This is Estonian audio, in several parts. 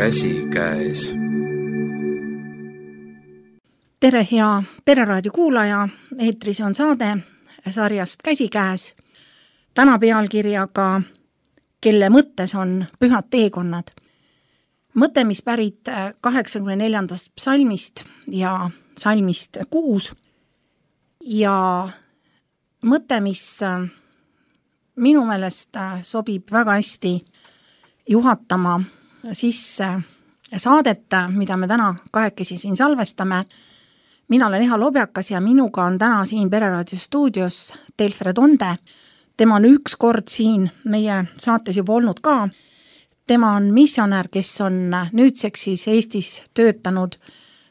käsikäes. Tere, hea Pereraadio kuulaja, eetris on saade sarjast Käsikäes. Täna pealkirjaga Kelle mõttes on pühad teekonnad. Mõte, mis pärit 84. psalmist ja psalmist 6 ja mõte, mis minu meelest sobib väga hästi juhatama sisse saadet, mida me täna kahekesi siin salvestame. Mina olen Eha Lobjakas ja minuga on täna siin Pereraadio stuudios Telfred Onde. Tema on üks kord siin meie saates juba olnud ka. Tema on missionär, kes on nüüdseks siis Eestis töötanud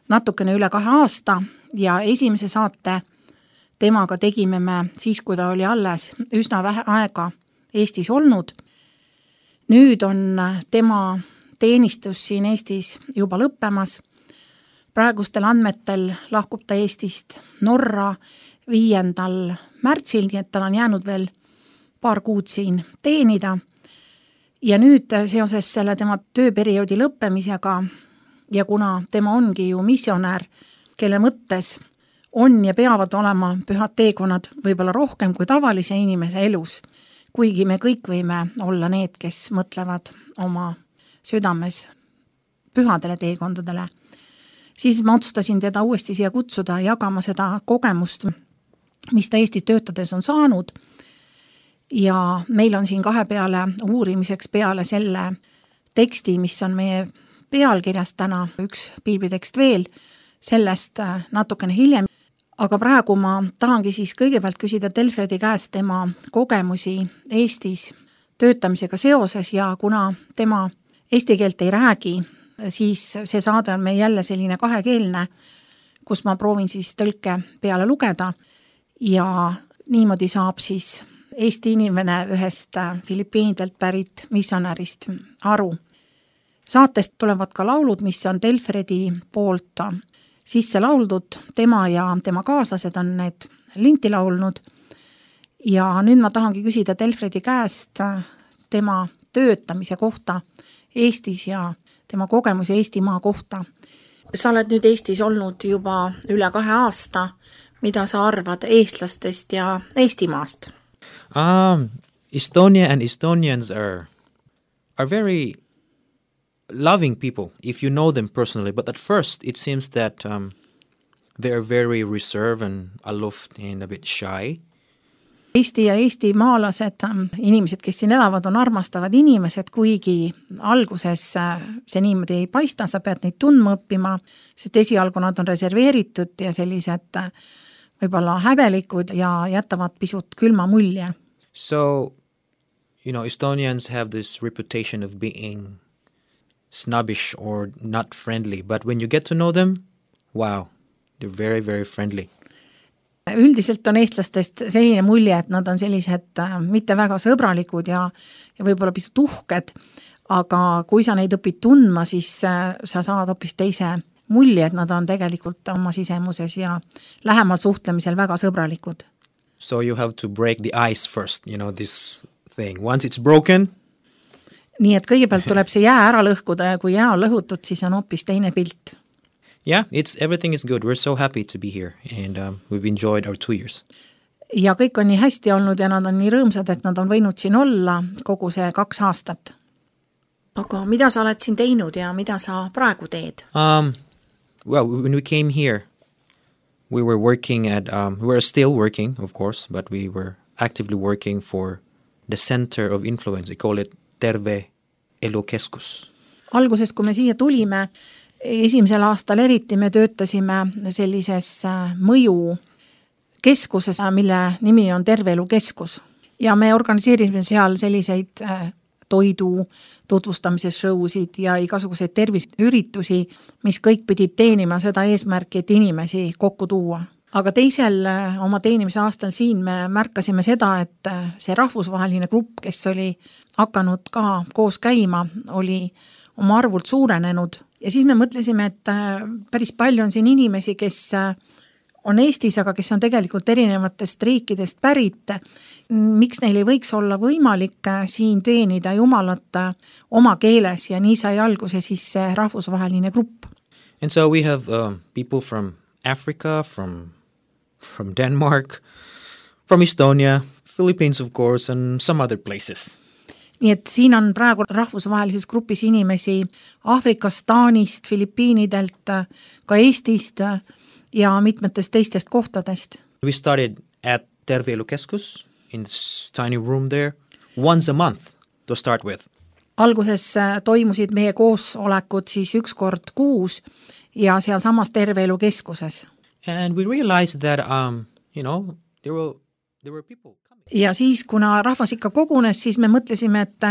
natukene üle 2 aasta ja esimese saate temaga tegime me siis, kui ta oli alles üsna vähe aega Eestis olnud. Nüüd on tema teenistus siin Eestis juba lõppemas. Praegustel andmetel lahkub ta Eestist Norra 5. märtsil, nii et tal on jäänud veel paar kuud siin teenida. Ja nüüd seoses selle tema tööperioodi lõppemisega ja kuna tema ongi ju missionär, kelle mõttes on ja peavad olema pühad teekonnad võib-olla rohkem kui tavalise inimese elus, kuigi me kõik võime olla need, kes mõtlevad oma südames pühadele teekondadele, siis ma otsustasin teda uuesti siia kutsuda jagama seda kogemust, mis ta Eestis töötades on saanud. Ja meil on siin kahepeale uurimiseks peale selle teksti, mis on meie pealkirjas täna, üks piiblitekst veel, sellest natukene hiljem. Aga praegu ma tahangi siis kõigepealt küsida Telfredi käest tema kogemusi Eestis töötamisega seoses ja kuna tema eesti keelt ei räägi, siis see saade on meil jälle selline kahekeelne, kus ma proovin siis tõlke peale lugeda ja niimoodi saab siis Eesti inimene ühest Filipiinidelt pärit missionärist aru. Saatest tulevad ka laulud, mis on Telfredi poolt sisse lauldud, tema ja tema kaaslased on need linti laulnud. Ja nüüd ma tahangi küsida Telfredi käest tema töötamise kohta Eestis ja tema kogemusi Eestimaa kohta. Sa oled nüüd Eestis olnud juba üle 2 aasta. Mida sa arvad eestlastest ja Eestimaast? Estonia and Estonians are very loving people if you know them personally, but at first it seems that they are very reserved and aloof and a bit shy. Eesti ja eestimaalased, inimesed, kes siin elavad, on armastavad inimesed, kuigi alguses see niimoodi ei paista, sa pead neid tundma õppima, sest esialgu nad on reserveeritud ja sellised võib-olla häbelikud ja jätavad pisut külma mulje. So, Estonians have this reputation of being snobbish or not friendly, but when you get to know them, wow, they're very, very friendly. Üldiselt on eestlastest selline mulje, et nad on sellised mitte väga sõbralikud ja võib-olla pisut uhked, aga kui sa neid õpid tundma, siis sa saad hoopis teise mulje, et nad on tegelikult oma sisemuses ja lähemal suhtlemisel väga sõbralikud. So you have to break the ice first, this thing. Once it's broken. Nii et kõigepealt tuleb see jää ära lõhkuda ja kui jää on lõhutud, siis on hoopis teine pilt. Yeah, everything is good. We're so happy to be here and we've enjoyed our 2 years. Ja kõik on nii hästi olnud ja nad on nii rõõmsad, et nad on võinud siin olla kogu see 2 aastat. Aga mida sa oled siin teinud ja mida sa praegu teed? Well, when we came here, we were working we were still working, of course, but we were actively working for the center of influence. We call it Terve Elu Keskus. Alguses, kui me siia tulime, esimesel aastal eriti me töötasime sellises mõju keskuses, mille nimi on Terve Elu Keskus. Ja me organiseerisime seal selliseid toidu tutvustamise showsid ja igasuguseid terviseüritusi, mis kõik pidid teenima seda eesmärki, et inimesi kokku tuua. Aga teisel oma teenimise aastal siin me märkasime seda, et see rahvusvaheline grupp, kes oli hakanud ka koos käima, oli oma arvult suurenenud. Ja siis me mõtlesime, et päris palju on siin inimesi, kes on Eestis, aga kes on tegelikult erinevatest riikidest pärit, miks neil ei võiks olla võimalik siin teenida Jumalat oma keeles ja nii sai alguse siis see rahvusvaheline grupp. And so we have people from Africa, from Denmark, from Estonia, Philippines of course, and some other places. Nii et siin on praegu rahvusvahelises grupis inimesi Aafrikast, Taanist, Filipiinidelt, ka Eestist ja mitmetest teistest kohtadest. We started at Terve Elu Keskus in this tiny room there once a month to start with. Alguses toimusid meie koosolekud siis üks kord kuus ja seal samas Terve Elu Keskuses. And we realized that, there were people coming. Ja siis, kuna rahvas ikka kogunes, siis me mõtlesime, et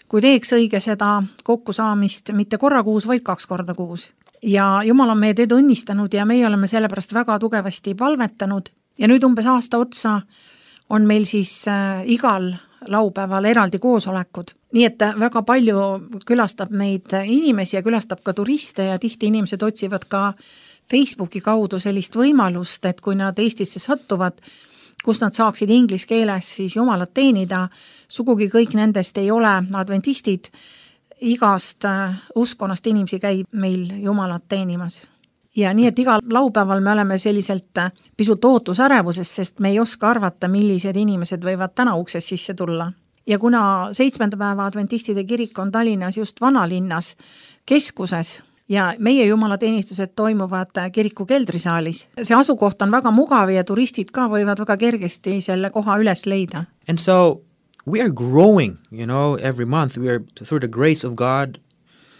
kui teeks õige seda kokkusaamist mitte korra kuus, vaid 2 korda kuus. Ja Jumal on meie teed õnnistanud ja meie oleme sellepärast väga tugevasti palvetanud. Ja nüüd umbes aasta otsa on meil siis igal laupäeval eraldi koosolekud. Nii et väga palju külastab meid inimesi ja külastab ka turiste ja tihti inimesed otsivad ka Facebooki kaudu sellist võimalust, et kui nad Eestisse sattuvad, kus nad saaksid inglise keeles siis Jumalat teenida, sugugi kõik nendest ei ole adventistid, igast uskonnast inimesi käib meil Jumalat teenimas. Ja nii, et igal laupäeval me oleme selliselt pisut ootusärevuses, sest me ei oska arvata, millised inimesed võivad täna ukses sisse tulla. Ja kuna 7. päeva adventistide kirik on Tallinnas just vanalinnas keskuses, ja meie jumalateenistused toimuvad kiriku keldrisaalis. See asukoht on väga mugav ja turistid ka võivad väga kergesti selle koha üles leida. And so we are growing, every month. We are, through the grace of God,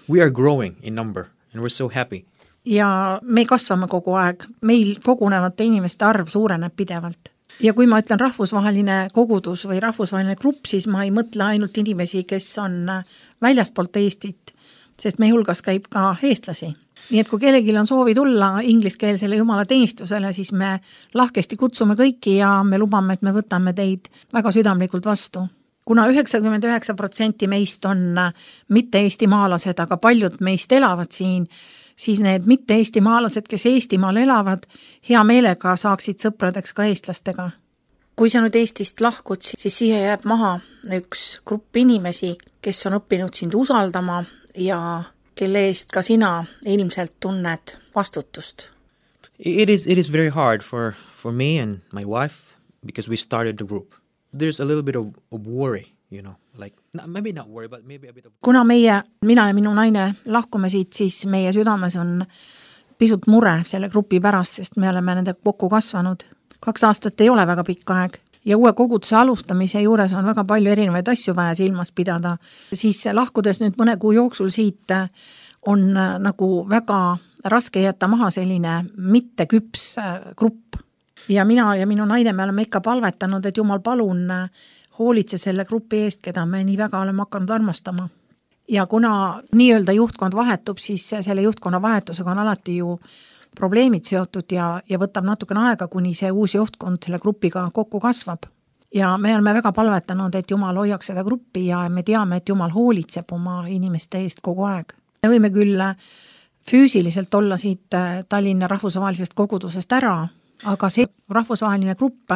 we are growing in number and we're so happy. Ja me kasvame kogu aeg. Meil kogunevate inimeste arv suureneb pidevalt. Ja kui ma ütlen rahvusvaheline kogudus või rahvusvaheline grupp, siis ma ei mõtle ainult inimesi, kes on väljastpoolt Eestit, sest meie hulgas käib ka eestlasi. Nii et kui kellelgi on soovi tulla ingliskeelsele jumalateenistusele, siis me lahkesti kutsume kõiki ja me lubame, et me võtame teid väga südamlikult vastu. Kuna 99% meist on mitte eestimaalased, aga paljud meist elavad siin, siis need mitte eestimaalased, kes Eestimaal elavad, hea meelega saaksid sõpradeks ka eestlastega. Kui sa nüüd Eestist lahkud, siis siia jääb maha üks grupp inimesi, kes on õppinud sind usaldama ja kelle eest ka sina ilmselt tunned vastutust. It is very hard for me and my wife because we started the group. There's a little bit of worry, maybe not worry, but maybe a bit of... Kuna mina ja minu naine lahkume siit, siis meie südames on pisut mure selle grupi pärast, sest me oleme nende kokku kasvanud. 2 aastat ei ole väga pikk aeg. Ja uue koguduse alustamise juures on väga palju erinevaid asju vaja silmas pidada. Siis lahkudes nüüd mõne kuu jooksul siit on nagu väga raske jätta maha selline mitteküps grupp. Ja mina ja minu naine me oleme ikka palvetanud, et Jumal palun hoolitse selle grupi eest, keda me nii väga oleme hakanud armastama. Ja kuna nii-öelda juhtkond vahetub, siis selle juhtkonna vahetusega on alati ju probleemid seotud ja võtab natukene aega, kuni see uus juhtkond selle grupiga kokku kasvab. Ja me oleme väga palvetanud, et Jumal hoiaks seda gruppi ja me teame, et Jumal hoolitseb oma inimeste eest kogu aeg. Me võime küll füüsiliselt olla siit Tallinna rahvusvahelisest kogudusest ära, aga see rahvusvaheline grupp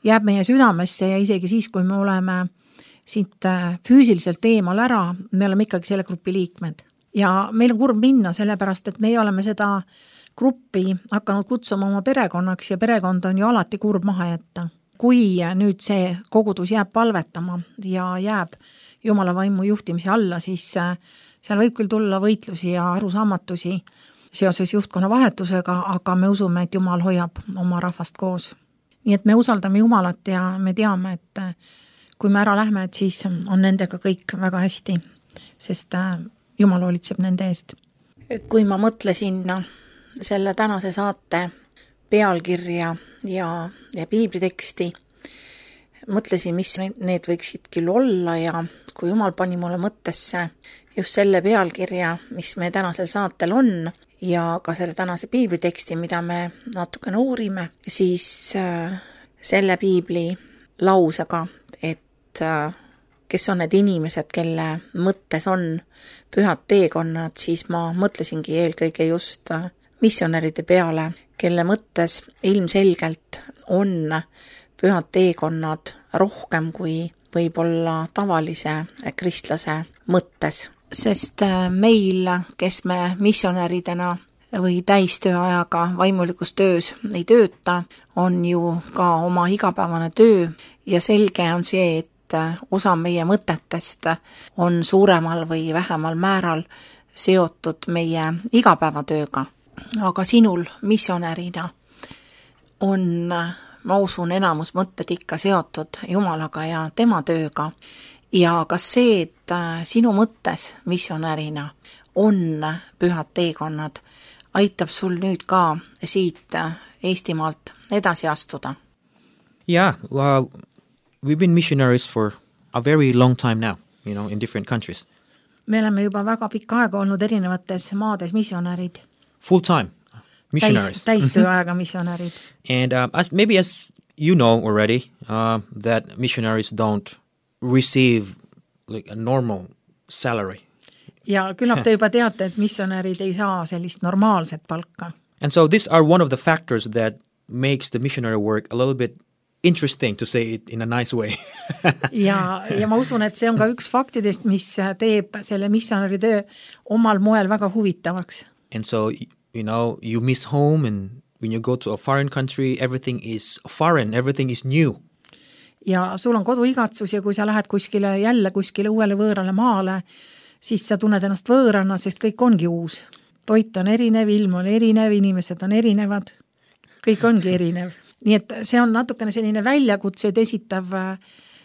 jääb meie südamesse ja isegi siis, kui me oleme siit füüsiliselt eemal ära, me oleme ikkagi selle grupi liikmed. Ja meil on kurb minna, sellepärast, et meie oleme seda gruppi hakanud kutsuma oma perekonnaks ja perekond on ju alati kurb maha jätta. Kui nüüd see kogudus jääb palvetama ja jääb Jumala vaimu juhtimise alla, siis seal võib küll tulla võitlusi ja arusaamatusi seoses juhtkonna vahetusega, aga me usume, et Jumal hoiab oma rahvast koos. Nii et me usaldame Jumalat ja me teame, et kui me ära lähme, et siis on nendega kõik väga hästi, sest Jumal hoolitseb nende eest. Kui ma mõtlesin selle tänase saate pealkirja ja piibliteksti, mõtlesin, mis need võiksid küll olla ja kui Jumal pani mulle mõttesse just selle pealkirja, mis me tänasel saatel on ja ka selle tänase piibliteksti, mida me natukene uurime, siis selle piibli lausega, et kes on need inimesed, kelle mõttes on pühad teekonnad, siis ma mõtlesingi eelkõige just missionäride peale, kelle mõttes ilmselgelt on pühad teekonnad rohkem kui võib-olla tavalise kristlase mõttes. Sest meil, kes me missionäridena või täistööajaga vaimulikus töös ei tööta, on ju ka oma igapäevane töö ja selge on see, et osa meie mõtetest on suuremal või vähemal määral seotud meie igapäevatööga. Aga sinul missionärina on, ma usun, enamus mõtted ikka seotud Jumalaga ja tema tööga. Ja kas see, et sinu mõttes missionärina on pühad teekonnad, aitab sul nüüd ka siit Eestimaalt edasi astuda? Yeah, we've been missionaries for a very long time now, in different countries. Me oleme juba väga pikka aega olnud erinevates maades missionärid. Full time missionaries. Täistööajaga missionärid. And maybe as you know already, that missionaries don't receive like a normal salary. Ja küllap te juba teate, et missionärid ei saa sellist normaalset palka. And so these are one of the factors that makes the missionary work a little bit interesting, to say it in a nice way. ja ma usun, et see on ka üks faktidest, mis teeb selle missionäri töö omal moel väga huvitavaks. And so, you miss home, and when you go to a foreign country, everything is foreign, everything is new. Ja sul on koduigatsus ja kui sa lähed kuskile uuele võõrale maale, siis sa tunned ennast võõrana, sest kõik ongi uus. Toit on erinev, ilm on erinev, inimesed on erinevad, kõik ongi erinev. Nii et see on natukene selline väljakutseid esitav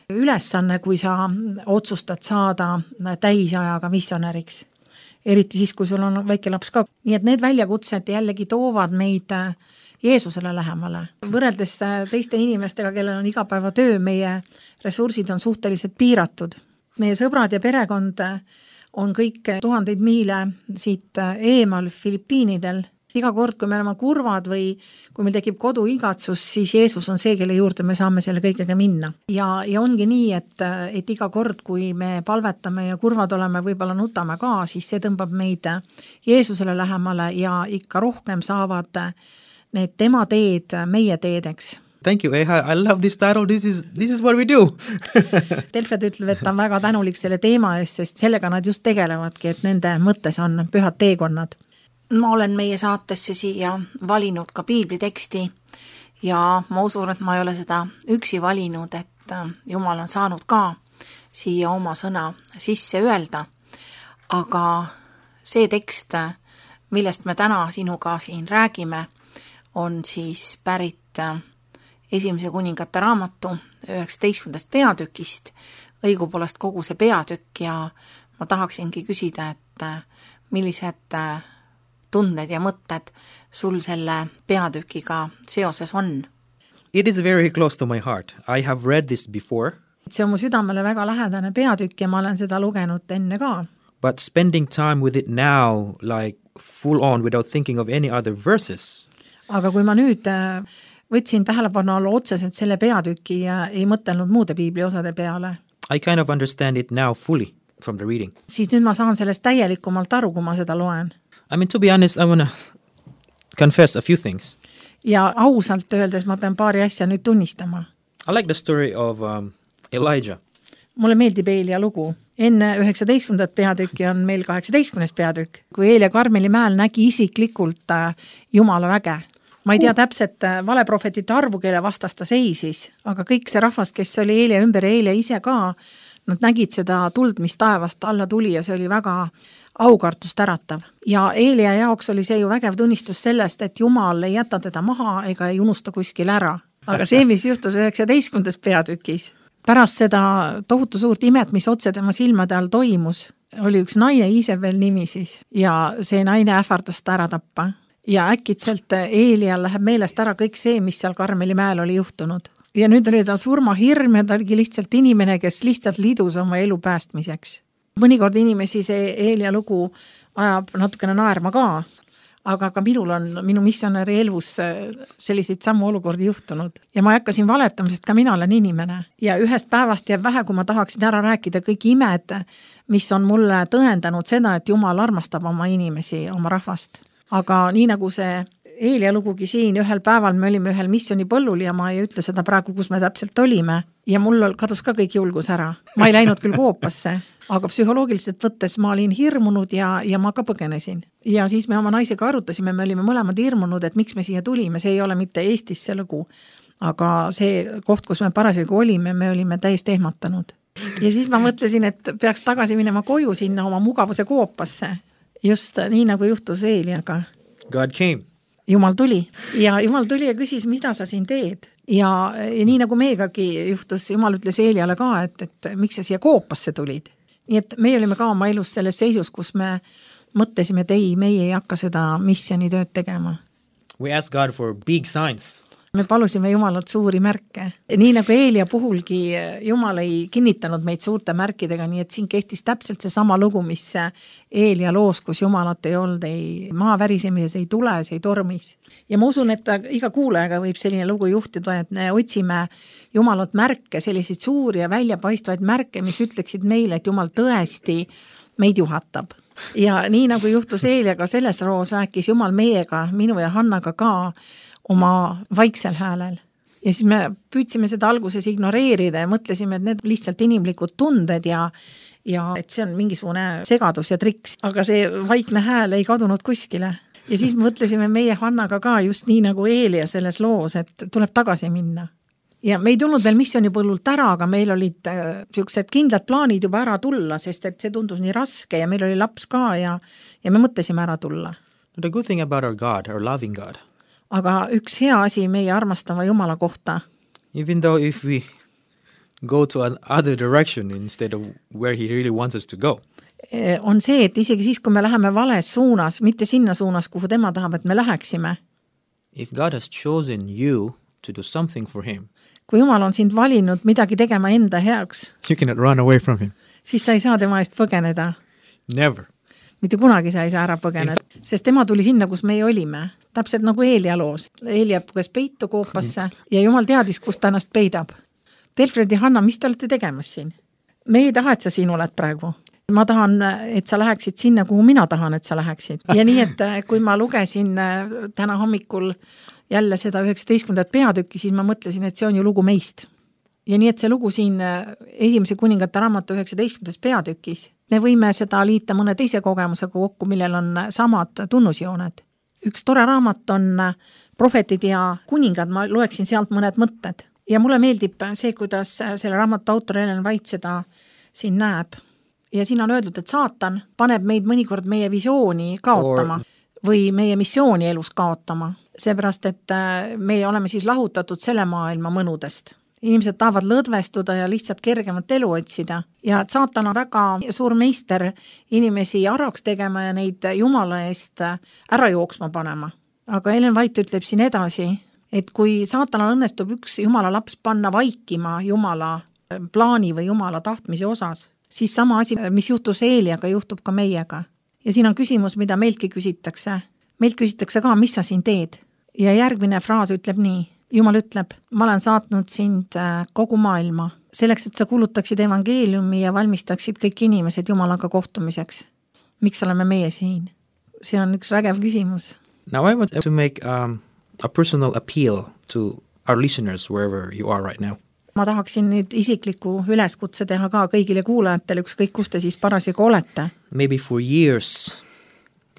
ülesanne, kui sa otsustad saada täisajaga missionäriks. Eriti siis, kui sul on väike laps ka. Nii et need väljakutsed jällegi toovad meid Jeesusele lähemale. Võrreldes teiste inimestega, kellel on igapäevatöö, meie ressursid on suhteliselt piiratud. Meie sõbrad ja perekond on kõik tuhandeid miile siit eemal Filipiinidel. Iga kord, kui me oleme kurvad või kui meil tekib koduigatsus, siis Jeesus on see, kelle juurde me saame selle kõigega minna. Ja ongi nii, et iga kord, kui me palvetame ja kurvad oleme, võib-olla nutame ka, siis see tõmbab meid Jeesusele lähemale ja ikka rohkem saavad need tema teed meie teedeks. Thank you, Eha. I love this title. This is what we do. Telfed ütleb, et ta on väga tänulik selle teema eest, sest sellega nad just tegelevadki, et nende mõttes on pühad teekonnad. Ma olen meie saatesse siia valinud ka piibliteksti ja ma usun, et ma ei ole seda üksi valinud, et Jumal on saanud ka siia oma sõna sisse öelda. Aga see tekst, millest me täna sinuga siin räägime, on siis pärit Esimese kuningate raamatu 19. peatükist, õigupoolest kogu see peatükk, ja ma tahaksingi küsida, et millised tunded ja mõtted sul selle peatükiga seoses on? It is very close to my heart. I have read this before. See on mu südamele väga lähedane peatükk ja ma olen seda lugenud enne ka. But spending time with it now, like full on, without thinking of any other verses. Aga kui ma nüüd võtsin tähelepanu alla otseselt selle peatüki ja ei mõtelnud muude piibliosade peale. I kind of understand it now fully from the reading. Siis nüüd ma saan sellest täielikumalt aru, kui ma seda loen. I mean, to be honest, I want to confess a few things. Ja ausalt öeldes ma pean paari asja nüüd tunnistama. I like the story of Elijah. Mulle meeldib Eelia lugu. Enne 19. peatükki on meil 18. peatükk, kui Eelia Karmeli mäel nägi isiklikult Jumala väge. Ma ei tea täpselt valeprofetite arvu, kelle vastas ta seisis, aga kõik see rahvas, kes oli Eelia ümber ja Eelia ise ka, nad nägid seda tuld, mis taevast alla tuli ja see oli väga aukartust äratav. Ja Eelia jaoks oli see ju vägev tunnistus sellest, et Jumal ei jäta teda maha ega ei unusta kuskil ära. Aga see, mis juhtus 19. peatükis, pärast seda tohutu suurt imet, mis otse tema silmade all toimus, oli üks naine Iisebel nimi siis ja see naine ähvardas ta ära tappa. Ja äkitselt Eelial läheb meelest ära kõik see, mis seal Karmeli mäel oli juhtunud. Ja nüüd oli ta surmahirm ja ta oligi lihtsalt inimene, kes lihtsalt liidus oma elu päästmiseks. Mõnikord inimesi see Eelia lugu ajab natukene naerma ka, aga ka minu missionäri elus selliseid sammu olukordi juhtunud. Ja ma hakkasin valetama, sest ka mina olen inimene. Ja ühest päevast jääb vähe, kui ma tahaksin ära rääkida kõik imed, mis on mulle tõendanud seda, et Jumal armastab oma inimesi, oma rahvast. aga nii nagu see Eelia lugugi siin, ühel päeval me olime ühel missioonipõllul ja ma ei ütle seda praegu, kus me täpselt olime ja mul kadus ka kõik julgus ära. Ma ei läinud küll koopasse, aga psühholoogiliselt võttes ma olin hirmunud ja ma ka põgenesin. Ja siis me oma naisega arutasime, me olime mõlemad hirmunud, et miks me siia tulime, see ei ole mitte Eestis see lugu, aga see koht, kus me parasjagu olime, me olime täiesti ehmatanud. Ja siis ma mõtlesin, et peaks tagasi minema koju sinna oma mugavuse koopasse, just nii nagu juhtus Eeliaga. God came. Jumal tuli ja küsis, mida sa siin teed. Ja nii nagu meegagi juhtus, Jumal ütles Eeliale ka, et miks sa siia koopasse tulid. Nii et meie olime ka oma elus selles seisus, kus me mõtlesime, et ei, meie ei hakka seda missioonitööd tegema. We asked God for big signs. Me palusime Jumalat suuri märke. Nii nagu Eelia puhulgi Jumal ei kinnitanud meid suurte märkidega, nii et siin kehtis täpselt see sama lugu, mis Eelia loos, kus Jumalat ei olnud, ei maavärisemises, ei tules, ei tormis. Ja ma usun, et iga kuulajaga võib selline lugu juhtida, et me otsime Jumalat märke, selliseid suuri ja väljapaistvaid märke, mis ütleksid meile, et Jumal tõesti meid juhatab. Ja nii nagu juhtus Eeliaga selles roos, rääkis Jumal meiega, minu ja Hannaga ka, oma vaiksel häälel. Ja siis me püüdsime seda alguses ignoreerida ja mõtlesime, et need lihtsalt inimlikud tunded ja et see on mingisugune segadus ja triks, aga see vaikne hääl ei kadunud kuskile. Ja siis mõtlesime meie Hannaga ka just nii nagu Eelia selles loos, et tuleb tagasi minna. Ja me ei tulnud veel missioonipõllult ära, aga meil olid sellised kindlad plaanid juba ära tulla, sest et see tundus nii raske ja meil oli laps ka ja me mõtlesime ära tulla. The good thing about our God, our loving God. Aga üks hea asi meie armastava Jumala kohta. Even though if we go to another direction instead of where he really wants us to go. On see, et isegi siis, kui me läheme vales suunas, mitte sinna suunas, kuhu tema tahab, et me läheksime. If God has chosen you to do something for him. Kui Jumal on sind valinud midagi tegema enda heaks. You cannot run away from him. Siis sa ei saa tema eest põgeneda. Never. Mitte kunagi sa ei saa ära põgeneda, sest tema tuli sinna, kus meie olime. Täpselt nagu Eelia loos. Eelia puges peitu koopasse ja Jumal teadis, kus ta ennast peidab. Delfred ja Hanna, mis te olete tegemas siin? Me ei taha, et sa siin oled praegu. Ma tahan, et sa läheksid sinna, kuhu mina tahan, et sa läheksid. Ja nii, et kui ma lugesin täna hommikul jälle seda 19. peatükki, siis ma mõtlesin, et see on ju lugu meist. Ja nii, et see lugu siin esimese kuningate raamatu 19. peatükis, me võime seda liita mõne teise kogemusega kokku, millel on samad tunnusjooned. Üks tore raamat on Prohvetid ja kuningad, ma loeksin sealt mõned mõtted. Ja mulle meeldib see, kuidas selle raamatu autor Ellen White seda siin näeb. Ja siin on öeldud, et saatan paneb meid mõnikord meie visiooni kaotama või meie missiooni elus kaotama. Seepärast, et me oleme siis lahutatud selle maailma mõnudest. Inimesed tahavad lõdvestuda ja lihtsalt kergemat elu otsida. Ja saatan on väga suur meister inimesi araks tegema ja neid Jumala eest ära jooksma panema. Aga Ellen White ütleb siin edasi, et kui saatanal õnnestub üks Jumala laps panna vaikima Jumala plaani või Jumala tahtmise osas, siis sama asi, mis juhtus Eeliaga, juhtub ka meiega. Ja siin on küsimus, mida meiltki küsitakse. Meilt küsitakse ka, mis sa siin teed? Ja järgmine fraas ütleb nii. Jumal ütleb, ma olen saatnud sind kogu maailma, selleks, et sa kuulutaksid evangeeliumi ja valmistaksid kõik inimesed Jumalaga kohtumiseks. Miks oleme meie siin? See on üks vägev küsimus. Now I want to make a personal appeal to our listeners wherever you are right now. Ma tahaksin nüüd isikliku üleskutse teha ka kõigile kuulajatele, ükskõik kus te siis parasjagu olete. Maybe for years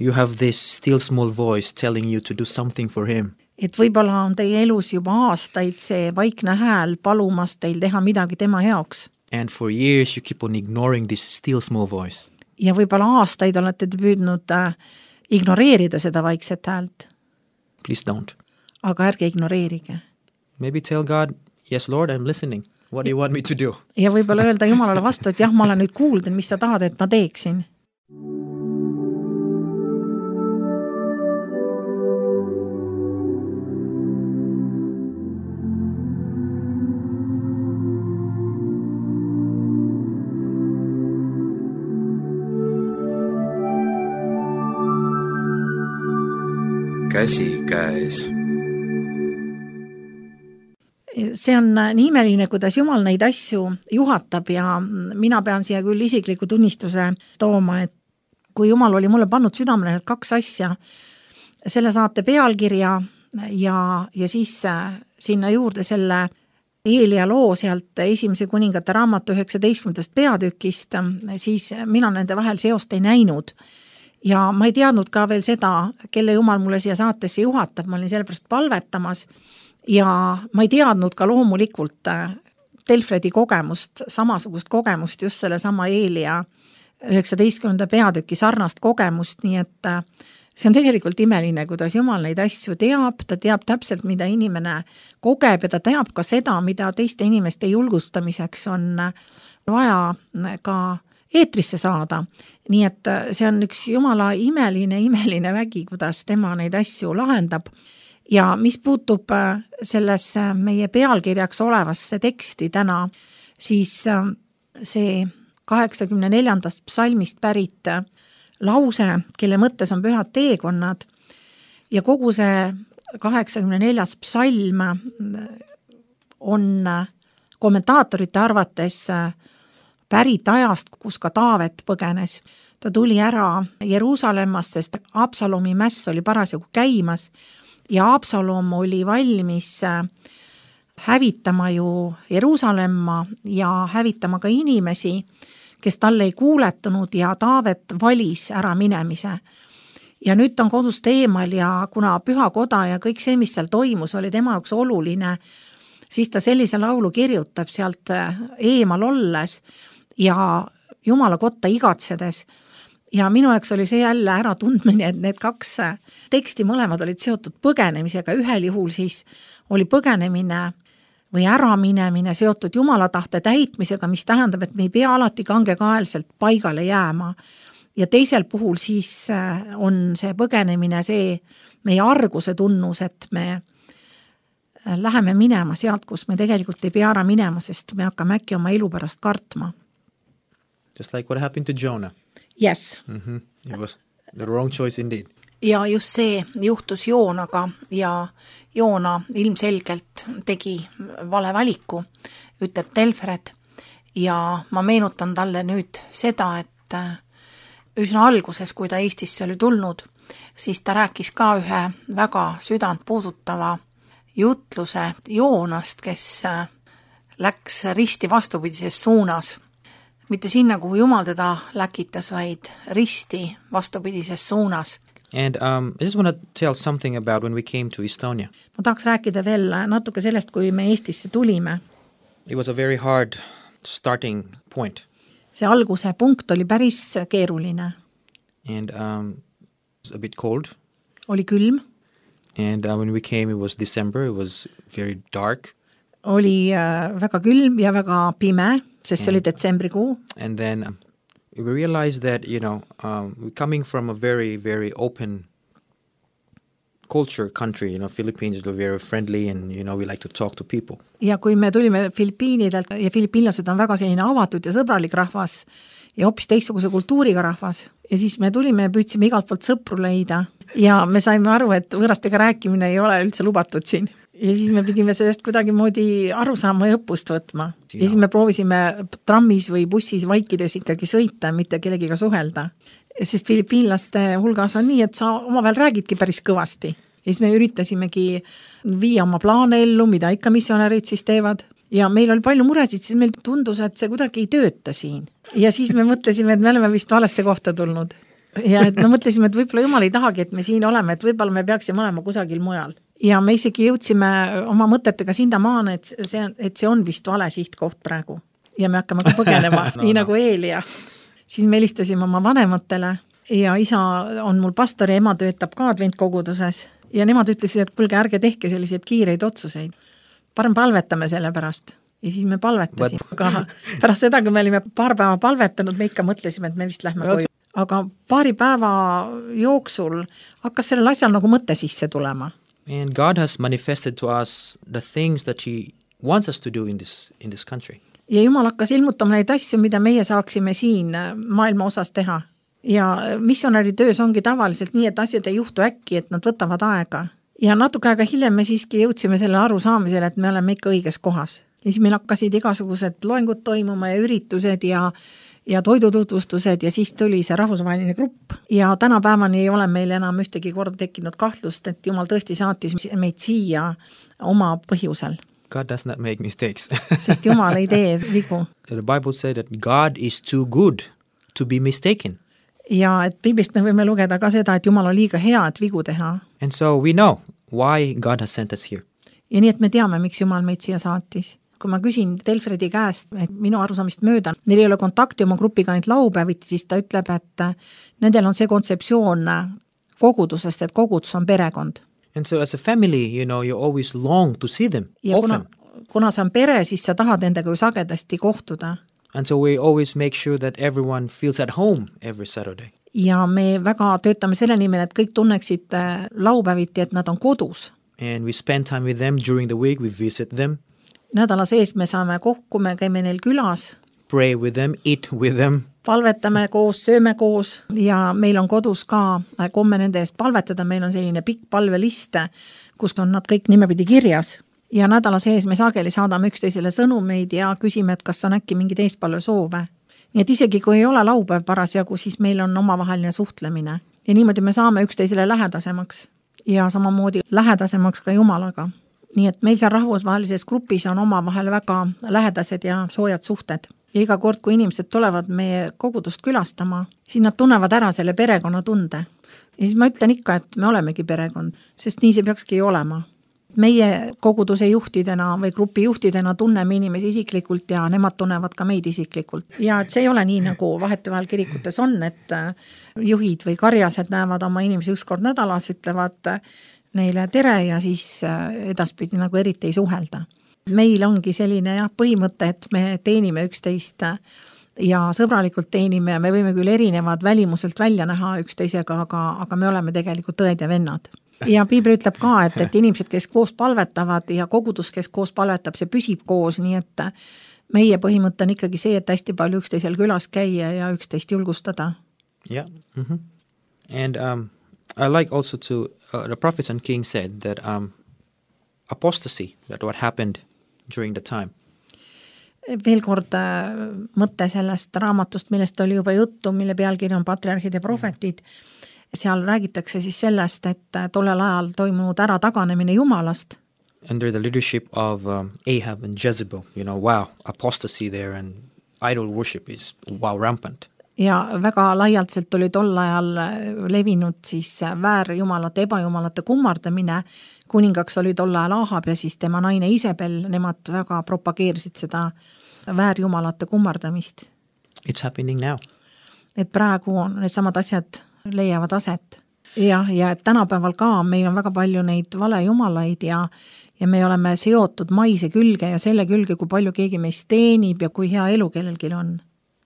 you have this still small voice telling you to do something for him. Et võib-olla on teie elus juba aastaid see vaikne hääl palumas teil teha midagi tema heaks. And for years you keep on ignoring this still small voice. Ja võib-olla aastaid olete te püüdnud ignoreerida seda vaikset häält. Please don't. Aga ärge ignoreerige. Maybe tell God, yes Lord, I'm listening. What do you want me to do? Ja võib-olla öelda Jumalale vastu, et jah, ma olen nüüd kuulden, mis sa tahad, et ma teeksin. Käsi käes. See on nii imeline, kuidas Jumal neid asju juhatab ja mina pean siia küll isikliku tunnistuse tooma, et kui Jumal oli mulle pannud südamele need 2 asja, selle saate pealkirja ja siis sinna juurde selle Eelia loo sealt Esimese kuningate raamatu 19. peatükist, siis mina nende vahel seost ei näinud. Ja ma ei teadnud ka veel seda, kelle jumal mulle siia saatesse juhatab, ma olin sellepärast palvetamas ja ma ei teadnud ka loomulikult Telfredi kogemust, samasugust kogemust, just selle sama Eelia 19. peatüki sarnast kogemust, nii et see on tegelikult imeline, kuidas Jumal neid asju teab, ta teab täpselt, mida inimene kogeb ja ta teab ka seda, mida teiste inimeste julgustamiseks on vaja ka eetrisse saada. Nii et see on üks Jumala imeline vägi, kuidas tema neid asju lahendab. Ja mis puutub sellesse meie pealkirjaks olevasse teksti täna, siis see 84. psalmist pärit lause, kelle mõttes on pühad teekonnad ja kogu see 84. psalm on kommentaatorite arvates pärit ajast, kus ka Taavet põgenes. Ta tuli ära Jeruusalemmast, sest Absalomi mäss oli parasjagu käimas ja Absalom oli valmis hävitama ju Jeruusalemma ja hävitama ka inimesi, kes talle ei kuuletunud ja Taavet valis ära minemise. Ja nüüd ta on kodust eemal ja kuna pühakoda ja kõik see, mis seal toimus, oli tema jaoks oluline, siis ta sellise laulu kirjutab sealt eemal olles ja Jumala kotta igatsedes. Ja minu jaoks oli see jälle ära tundmine, et need kaks teksti mõlemad olid seotud põgenemisega. Ühel juhul siis oli põgenemine või äraminemine seotud Jumala tahte täitmisega, mis tähendab, et me ei pea alati kangekaelselt paigale jääma. Ja teisel puhul siis on see põgenemine see meie arguse tunnus, et me läheme minema sealt, kus me tegelikult ei pea ära minema, sest me hakkame äkki oma elu pärast kartma. Just like what happened to Jonah. Yes. It was the wrong choice indeed. Ja just see juhtus Joonaga ja Joona ilmselgelt tegi vale valiku, ütleb Telfred. Ja ma meenutan talle nüüd seda, et üsna alguses, kui ta Eestisse oli tulnud, siis ta rääkis ka ühe väga südant puudutava jutluse Joonast, kes läks risti vastupidises suunas. Mitte sinna, kuhu Jumal teda läkitas, vaid risti vastupidises suunas. And I just want to tell something about when we came to Estonia. Ma tahaks rääkida veel natuke sellest, kui me Eestisse tulime. It was a very hard starting point. See alguse punkt oli päris keeruline. And it was a bit cold. Oli külm. And when we came, it was December. It was very dark. Oli väga külm ja väga pime, sest see oli detsembrikuu. And then we realized that, we're coming from a very, very open culture country. Philippines are very friendly and, we like to talk to people. Ja kui me tulime Filipiinidelt ja filipiinlased on väga selline avatud ja sõbralik rahvas ja hoopis teistsuguse kultuuriga rahvas. Ja siis me tulime ja püüdsime igalt poolt sõpru leida ja me saime aru, et võõrastega rääkimine ei ole üldse lubatud siin. Ja siis me pidime sellest kuidagi moodi aru saama ja õppust võtma. Ja siis me proovisime trammis või bussis vaikides ikkagi sõita, mitte kellegiga suhelda. Sest filipiinlaste hulgas on nii, et sa omavahel räägidki päris kõvasti. Ja siis me üritasimegi viia oma plaane ellu, mida ikka missionärid siis teevad. Ja meil oli palju muresid, siis meil tundus, et see kuidagi ei tööta siin. Ja siis me mõtlesime, et me oleme vist valesse kohta tulnud. Ja et me mõtlesime, et võib-olla Jumal ei tahagi, et me siin oleme, et võib-olla me peaksime olema kusagil mujal. Ja me isegi jõudsime oma mõtetega sinna maana, et see on vist vale sihtkoht praegu. Ja me hakkame ka põgenema, nii nagu Eelia. Siis me helistasime oma vanematele ja isa on mul pastor ja ema töötab ka adventkoguduses. Ja nemad ütlesid, et kulge, ärge tehke selliseid kiireid otsuseid. Parem palvetame selle pärast. Ja siis me palvetasime. Aga pärast seda, kui me olime paar päeva palvetanud, me ikka mõtlesime, et me vist lähme koju. Aga paari päeva jooksul hakkas sellel asjal nagu mõte sisse tulema. And God has manifested to us the things that He wants us to do in this country. Ja Jumal hakkas ilmutama neid asju, mida meie saaksime siin maailma osas teha. Ja missionäri töös ongi tavaliselt nii, et asjad ei juhtu äkki, et nad võtavad aega. Ja natuke aega hiljem me siiski jõudsime selle aru saamisele, et me oleme ikka õiges kohas. Ja siis meil hakkasid igasugused loengud toimuma ja üritused ja ja toidututvustused ja siis tuli see rahvusvaheline grupp ja tänapäevani ei ole meil enam ühtegi korda tekkinud kahtlust, et Jumal tõesti saatis meid siia oma põhjusel. God does not make mistakes. Sest Jumal ei tee vigu. The Bible said that God is too good to be mistaken. Ja et Piiblist me võime lugeda ka seda, et Jumal on liiga hea, et vigu teha. And so we know why God has sent us here. Ja nii, et me teame, miks Jumal meid siia saatis. Kui ma küsin Telfredi käest, et minu arusaamist mööda, neil ei ole kontakti oma grupiga ainult laupäeviti, siis ta ütleb, et nendel on see kontseptsioon kogudusest, et kogudus on perekond. And so as a family, you always long to see them Ja often. kuna sa on pere, siis sa tahad nendega ju sagedasti kohtuda. And so we always make sure that everyone feels at home every Saturday. Ja me väga töötame selle nimel, et kõik tunneksid laupäeviti, et nad on kodus. And we spend time with them during the week, we visit them. Nädala sees me saame kokku, me käime neil külas. Pray with them, eat with them. Palvetame koos, sööme koos ja meil on kodus ka komme nende eest palvetada, meil on selline pikk palveliste, kus on nad kõik nimepidi kirjas. Ja nädala sees me sageli saadame üksteisele sõnumeid ja küsime, et kas on äkki mingi teistpalve soove. Nii et isegi kui ei ole laupäev parasjagu, siis meil on omavaheline suhtlemine. Ja niimoodi me saame üksteisele lähedasemaks ja samamoodi lähedasemaks ka Jumalaga. Nii et meil seal rahvusvahelises grupis on omavahel väga lähedased ja soojad suhted. Ja iga kord, kui inimesed tulevad meie kogudust külastama, siis nad tunnevad ära selle perekonna tunde. Ja siis ma ütlen ikka, et me olemegi perekond, sest nii see peakski olema. Meie koguduse juhtidena või grupi juhtidena tunneme inimesi isiklikult ja nemad tunnevad ka meid isiklikult. Ja et see ei ole nii, nagu vahetevahel kirikutes on, et juhid või karjased näevad oma inimesi üks kord nädalas, ütlevad neile tere ja siis edaspidi nagu eriti ei suhelda. Meil ongi selline põhimõte, et me teenime üksteist ja sõbralikult teenime ja me võime küll erinevad välimuselt välja näha üksteisega, aga me oleme tegelikult õed ja vennad. Ja Piibel ütleb ka, et inimesed, kes koos palvetavad ja kogudus, kes koos palvetab, see püsib koos, nii et meie põhimõte on ikkagi see, et hästi palju üksteisel külas käia ja üksteist julgustada. Yeah. Mm-hmm. And I like also to, the prophets and kings said that apostasy, that what happened during the time. Veel kord mõte sellest raamatust, millest oli juba juttu, mille pealkiri on Patriarhid ja prohvetid. Seal räägitakse siis sellest, et tollel ajal toimunud ära taganemine Jumalast. Under the leadership of Ahab and Jezebel, wow, apostasy there and idol worship is rampant. Ja väga laialtselt oli tol ajal levinud siis väärjumalate, ebajumalate kummardamine. Kuningaks oli tol ajal Ahab ja siis tema naine Isabel, nemad väga propageerisid seda väärjumalate kummardamist. It's happening now. Et praegu on need samad asjad leiavad aset. Ja et tänapäeval ka meil on väga palju neid valejumalaid ja me oleme seotud maise külge ja selle külge, kui palju keegi meist teenib ja kui hea elu kellelgi on.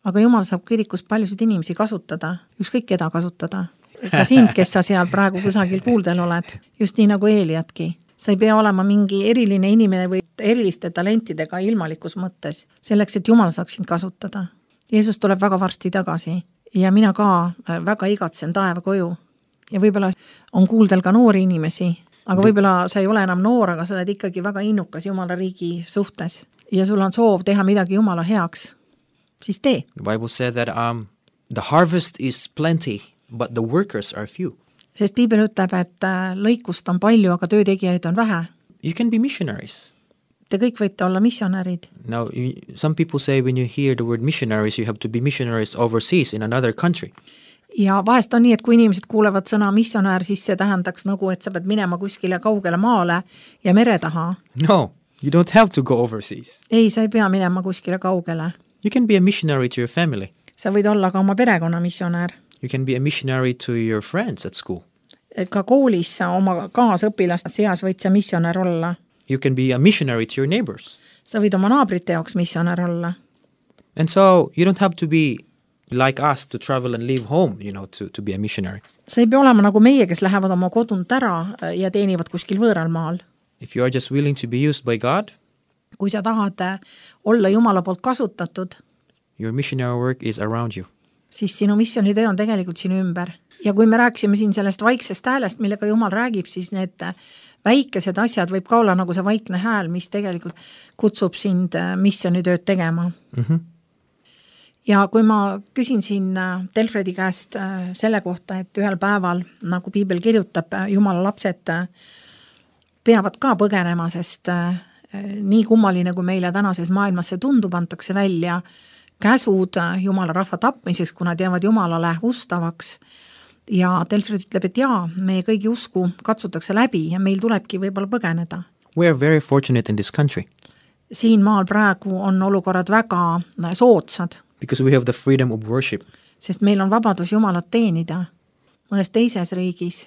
Aga Jumal saab kirikus paljusid inimesi kasutada, ükskõik keda kasutada. Ka sind, kes sa seal praegu kusagil kuuldel oled, just nii nagu Eeliatki. Sa ei pea olema mingi eriline inimene või eriliste talentidega ilmalikus mõttes, selleks, et Jumal saaks sind kasutada. Jeesus tuleb väga varsti tagasi ja mina ka väga igatsen taeva koju. Ja võib-olla on kuuldel ka noori inimesi, aga võib-olla sa ei ole enam noor, aga sa oled ikkagi väga innukas Jumala riigi suhtes ja sul on soov teha midagi Jumala heaks. Siis tee. The Bible said that the harvest is plenty, but the workers are few. Sest Piibel ütleb, et lõikust on palju, aga töötegijaid on vähe. You can be missionaries. Te kõik võite olla missionärid. Now, some people say when you hear the word missionaries, you have to be missionaries overseas in another country. Ja vahest on nii, et kui inimesed kuulevad sõna missionär, siis see tähendaks nagu, et sa pead minema kuskile kaugele maale ja mere taha. No, you don't have to go overseas. Ei, sa ei pea minema kuskile kaugele. You can be a missionary to your family. Sa võid olla ka oma perekonna missionär. You can be a missionary to your friends at school. Ka koolis sa oma kaasõpilaste seas võid sa missionär olla. You can be a missionary to your neighbors. Sa võid oma naabrite jaoks missionär olla. And so you don't have to be like us to travel and leave home, to be a missionary. Sa ei pea olema nagu meie, kes lähevad oma kodunt ära ja teenivad kuskil võõral maal. If you are just willing to be used by God, kui sa tahad olla Jumala poolt kasutatud, your missionary work is around you. Siis sinu missionitöö on tegelikult sinu ümber. Ja kui me rääksime siin sellest vaiksest häälest, millega Jumal räägib, siis need väikesed asjad võib ka olla nagu see vaikne hääl, mis tegelikult kutsub sind missionitööd tegema. Mm-hmm. Ja kui ma küsin siin Delfredi käest selle kohta, et ühel päeval, nagu piibel kirjutab, Jumala lapsed peavad ka põgenema, sest nii kummaline, kui meile tänases maailmas see tundub, antakse välja käsud Jumala rahva tapmiseks, kui nad jäävad Jumalale ustavaks. Ja Delfred ütleb, et jaa, meie kõigi usku katsutakse läbi ja meil tulebki võib-olla põgeneda. We are very fortunate in this country. Siin maal praegu on olukorrad väga soodsad. Because we have the freedom of worship. Sest meil on vabadus Jumalat teenida. Mõnes teises riigis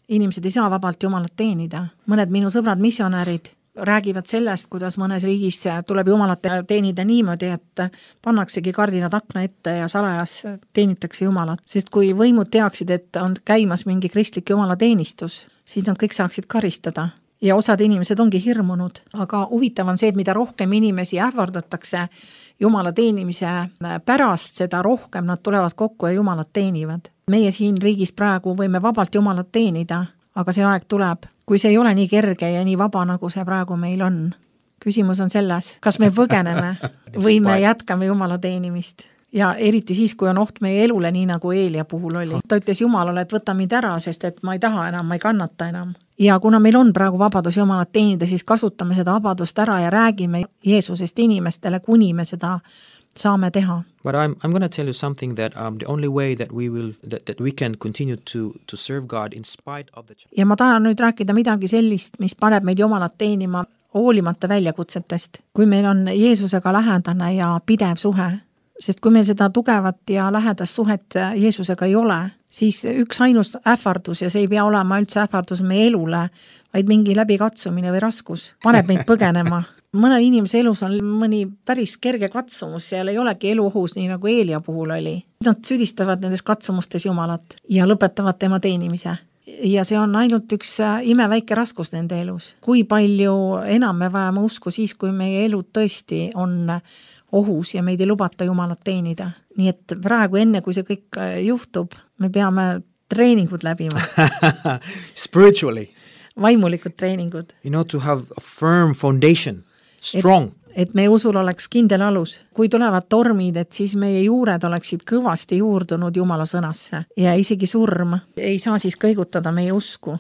inimesed ei saa vabalt Jumalat teenida. Mõned minu sõbrad missionärid räägivad sellest, kuidas mõnes riigis tuleb Jumalat teenida niimoodi, et pannaksegi kardinad akna ette ja salajas teenitakse Jumalat. Sest kui võimud teaksid, et on käimas mingi kristlik Jumala teenistus, siis nad kõik saaksid karistada. Ja osad inimesed ongi hirmunud, aga huvitav on see, et mida rohkem inimesi ähvardatakse Jumala teenimise pärast, seda rohkem nad tulevad kokku ja Jumalat teenivad. Meie siin riigis praegu võime vabalt Jumalat teenida, aga see aeg tuleb, kui see ei ole nii kerge ja nii vaba, nagu see praegu meil on. Küsimus on selles, kas me põgeneme või me jätkame Jumala teenimist. Ja eriti siis, kui on oht meie elule, nii nagu Eelia puhul oli. Ta ütles Jumalale, et võta mind ära, sest et ma ei taha enam, ma ei kannata enam. Ja kuna meil on praegu vabadus Jumalat teenida, siis kasutame seda vabadust ära ja räägime Jeesusest inimestele, kuni me seda saame teha. But I'm going to tell you something that the only way that we can continue to serve God in spite of the... Ja ma tahan nüüd rääkida midagi sellist, mis paneb meid Jumalat teenima hoolimata väljakutsetest. Kui meil on Jeesusega lähedane ja pidev suhe, sest kui meil seda tugevat ja lähedast suhet Jeesusega ei ole, siis üks ainus ähvardus, ja see ei pea olema üldse ähvardus meie elule, vaid mingi läbikatsumine või raskus, paneb meid põgenema. Mõnel inimese elus on mõni päris kerge katsumus, seal ei olegi elu ohus, nii nagu Eelia puhul oli. Nad süüdistavad nendes katsumustes Jumalat ja lõpetavad tema teenimise. Ja see on ainult üks imeväike raskus nende elus. Kui palju enam me vajame usku siis, kui meie elu tõesti on ohus ja meid ei lubata Jumalat teenida. Nii et praegu enne, kui see kõik juhtub, me peame treeningud läbima. Spiritually. Vaimulikud treeningud. You know, to have a firm foundation, strong. Et meie usul oleks kindel alus. Kui tulevad tormid, et siis meie juured oleksid kõvasti juurdunud Jumala sõnasse. Ja isegi surm ei saa siis kõigutada meie usku.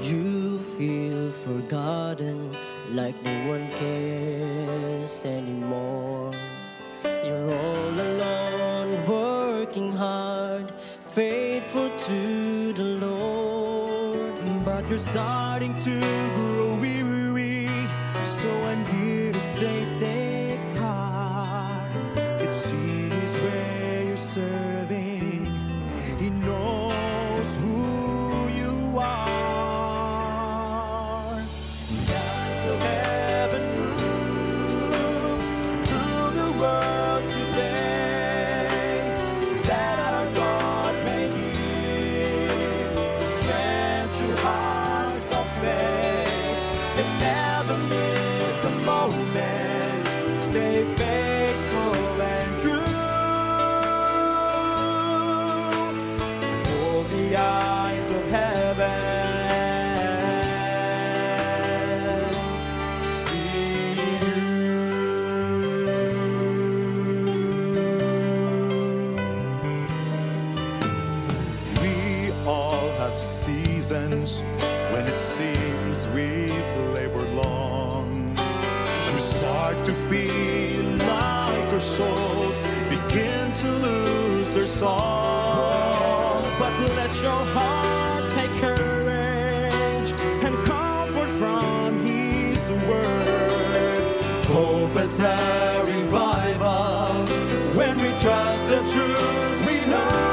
You feel forgotten, like no one cares anymore. You're all alone, working hard, faithful to the Lord. But you're starting to grow weary, so I'm here to say take heart. It's His where you're serving. He knows who you are. When it seems we've labored long, when we start to feel like our souls begin to lose their song. But let your heart take courage and comfort from His word. Hope is a revival when we trust the truth we know.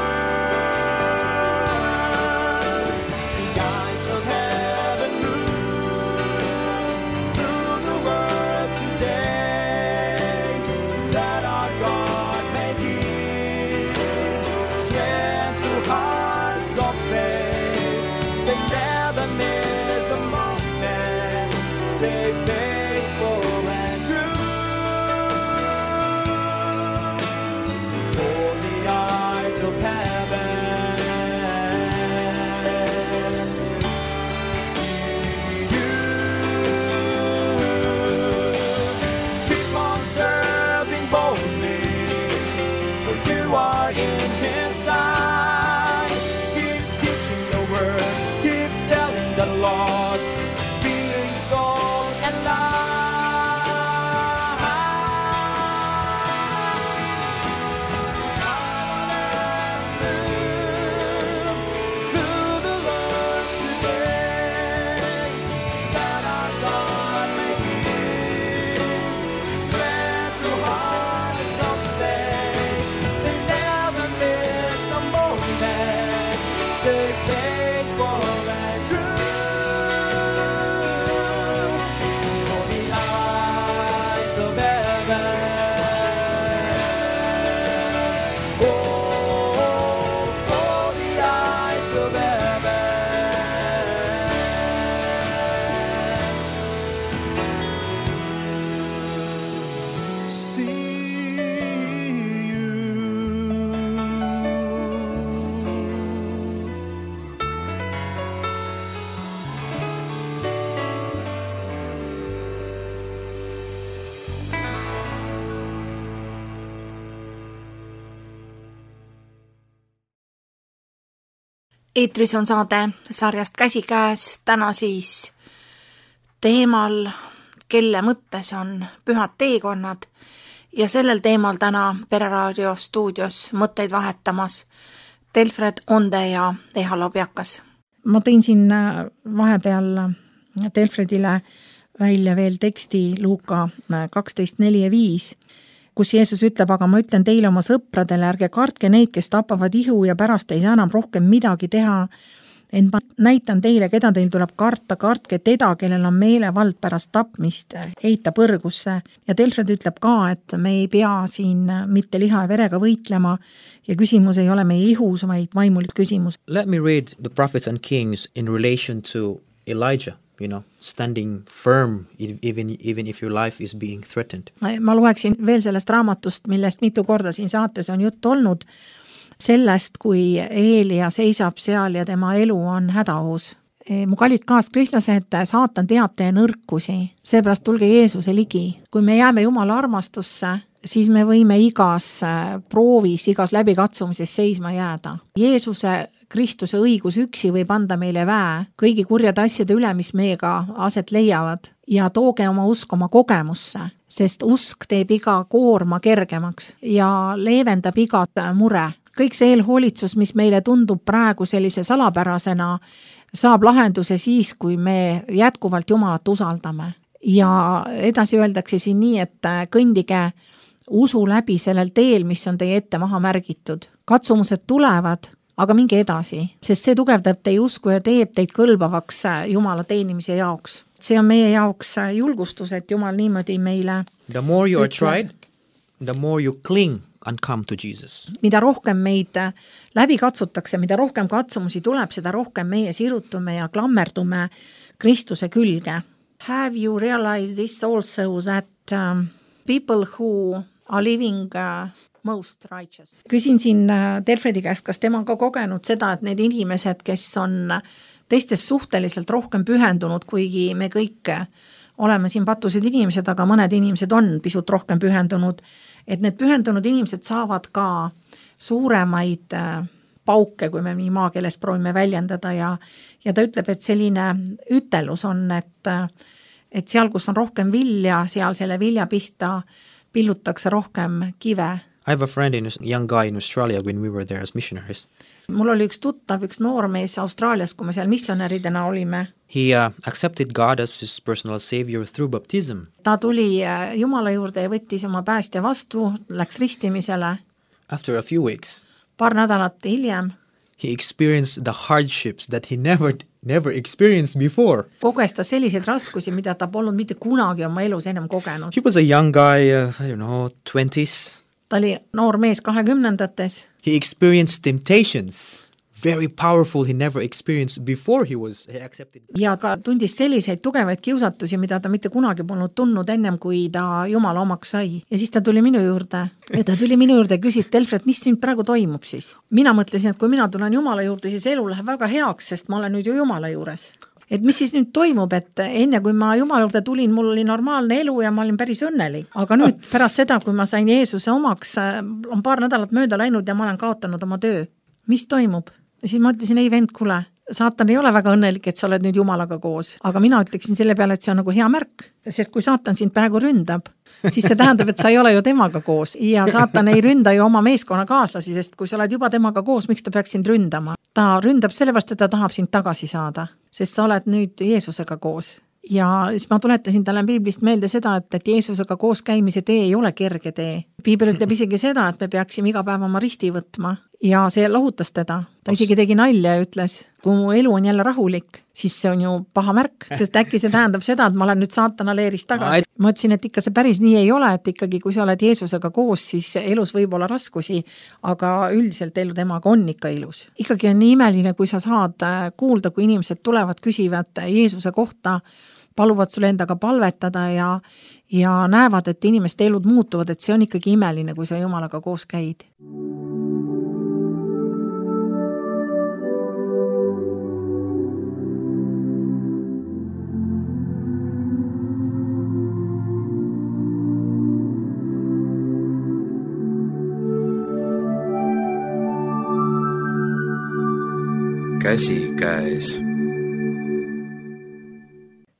Stay faithful and true. Eetris on saade sarjast Käsikäes, täna siis teemal, kelle mõttes on pühad teekonnad ja sellel teemal täna Pereraadio stuudios mõtteid vahetamas Delfred Onde ja Eha Lobjakas. Ma tõin siin vahepeal Delfredile välja veel teksti Luuka 12:4-5, kus Jeesus ütleb, aga ma ütlen teile oma sõpradele, ärge kartke neid, kes tapavad ihu ja pärast ei saa enam rohkem midagi teha. Ent ma näitan teile, keda teil tuleb karta, kartke teda, kellel on meelevald pärast tapmist heita põrgusse. Ja Delfred ütleb ka, et me ei pea siin mitte liha ja verega võitlema ja küsimus ei ole meie ihus, vaid vaimulik küsimus. Let me read the prophets and kings in relation to Elijah. Standing firm even if your life is being threatened. Ma loeksin veel sellest raamatust, millest mitu korda siin saates on jutt olnud, sellest, kui Eelia seisab seal ja tema elu on hädaohus. Mu kallid kaaskristlased, saatan teab teie nõrkusi, seepärast tulge Jeesuse ligi. Kui me jääme Jumala armastusse, siis me võime igas proovis, igas läbikatsumises seisma jääda. Jeesuse Kristuse õigus üksi võib anda meile väe kõigi kurjade asjade üle, mis meiega aset leiavad ja tooge oma usk oma kogemusse, sest usk teeb iga koorma kergemaks ja leevendab igat mure. Kõik see eelhoolitsus, mis meile tundub praegu sellise salapärasena, saab lahenduse siis, kui me jätkuvalt Jumalat usaldame. Ja edasi öeldakse siin nii, et kõndige usu läbi sellel teel, mis on teie ette maha märgitud. Katsumused tulevad, aga minge edasi, sest see tugevdab teie usku ja teeb teid kõlbavaks Jumala teenimise jaoks. See on meie jaoks julgustus, et Jumal niimoodi meile The more you are tried, the more you cling and come to Jesus. Mida rohkem meid läbi katsutakse, mida rohkem katsumusi tuleb, seda rohkem meie sirutume ja klammerdume Kristuse külge. Have you realized this also that people who are living most righteous. Küsin siin Delfredi käest, kas tema on ka kogenud seda, et need inimesed, kes on teistest suhteliselt rohkem pühendunud, kuigi me kõik oleme siin patused inimesed, aga mõned inimesed on pisut rohkem pühendunud, et need pühendunud inimesed saavad ka suuremaid pauke, kui me nii maakeeles proovime väljendada ja ta ütleb, et selline ütelus on, et seal, kus on rohkem vilja, seal selle vilja pihta pillutakse rohkem kive. I have a friend, young guy in Australia when we were there as missionaries. Mul oli üks tuttav, üks noormees Austraalias, kui me seal missionäridena olime. He accepted God as his personal savior through baptism. Ta tuli Jumala juurde ja võttis oma päästja vastu, läks ristimisele. After a few weeks, paar nädalat hiljem, he experienced the hardships that he never experienced before. Koges ta selliseid raskusi, mida ta polnud mitte kunagi oma elus ennem kogenud. He was a young guy, 20s. Ta oli noor mees 20-ndates. He experienced temptations, very powerful, he never experienced before he accepted. Ja ka tundis selliseid tugevaid kiusatusi, mida ta mitte kunagi polnud tundnud ennem, kui ta Jumala omaks sai. Ja siis ta tuli minu juurde ja küsis, Delfred, mis nüüd praegu toimub siis? Mina mõtlesin, et kui mina tulen Jumala juurde, siis elu läheb väga heaks, sest ma olen nüüd ju Jumala juures. Et mis siis nüüd toimub, et enne kui ma Jumala juurde tulin, mul oli normaalne elu ja ma olin päris õnnelik. Aga nüüd pärast seda, kui ma sain Jeesuse omaks, on paar nädalat mööda läinud ja ma olen kaotanud oma töö. Mis toimub? Ja siis ma ütlesin, ei vend, kuule, saatan ei ole väga õnnelik, et sa oled nüüd Jumalaga koos. Aga mina ütleksin selle peale, et see on nagu hea märk, sest kui saatan sind praegu ründab, siis see tähendab, et sa ei ole ju temaga koos. Ja saatan ei ründa ju oma meeskonna kaaslasi, sest kui sa oled juba temaga koos, miks ta peaks sind ründama? Ta ründab sellepärast, et ta tahab sind tagasi saada, sest sa oled nüüd Jeesusega koos. Ja siis ma tuletasin talle Piiblist meelde seda, et Jeesusega koos käimise tee ei ole kerge tee. Piibel ütleb isegi seda, et me peaksime iga päev oma risti võtma ja see lohutas teda. Ta isegi tegi nalja ja ütles, kui mu elu on jälle rahulik, siis see on ju paha märk, sest äkki see tähendab seda, et ma olen nüüd saatana leerist tagasi. Ma ütlesin, et ikka see päris nii ei ole, et ikkagi kui sa oled Jeesusega koos, siis elus võib olla raskusi, aga üldiselt elu temaga on ikka ilus. Ikkagi on nii imeline, kui sa saad kuulda, kui inimesed tulevad, küsivad Jeesuse kohta, paluvad sulle endaga palvetada ja näevad, et inimeste elud muutuvad, et see on ikkagi imeline, kui sa Jumalaga koos käid. käsikäes.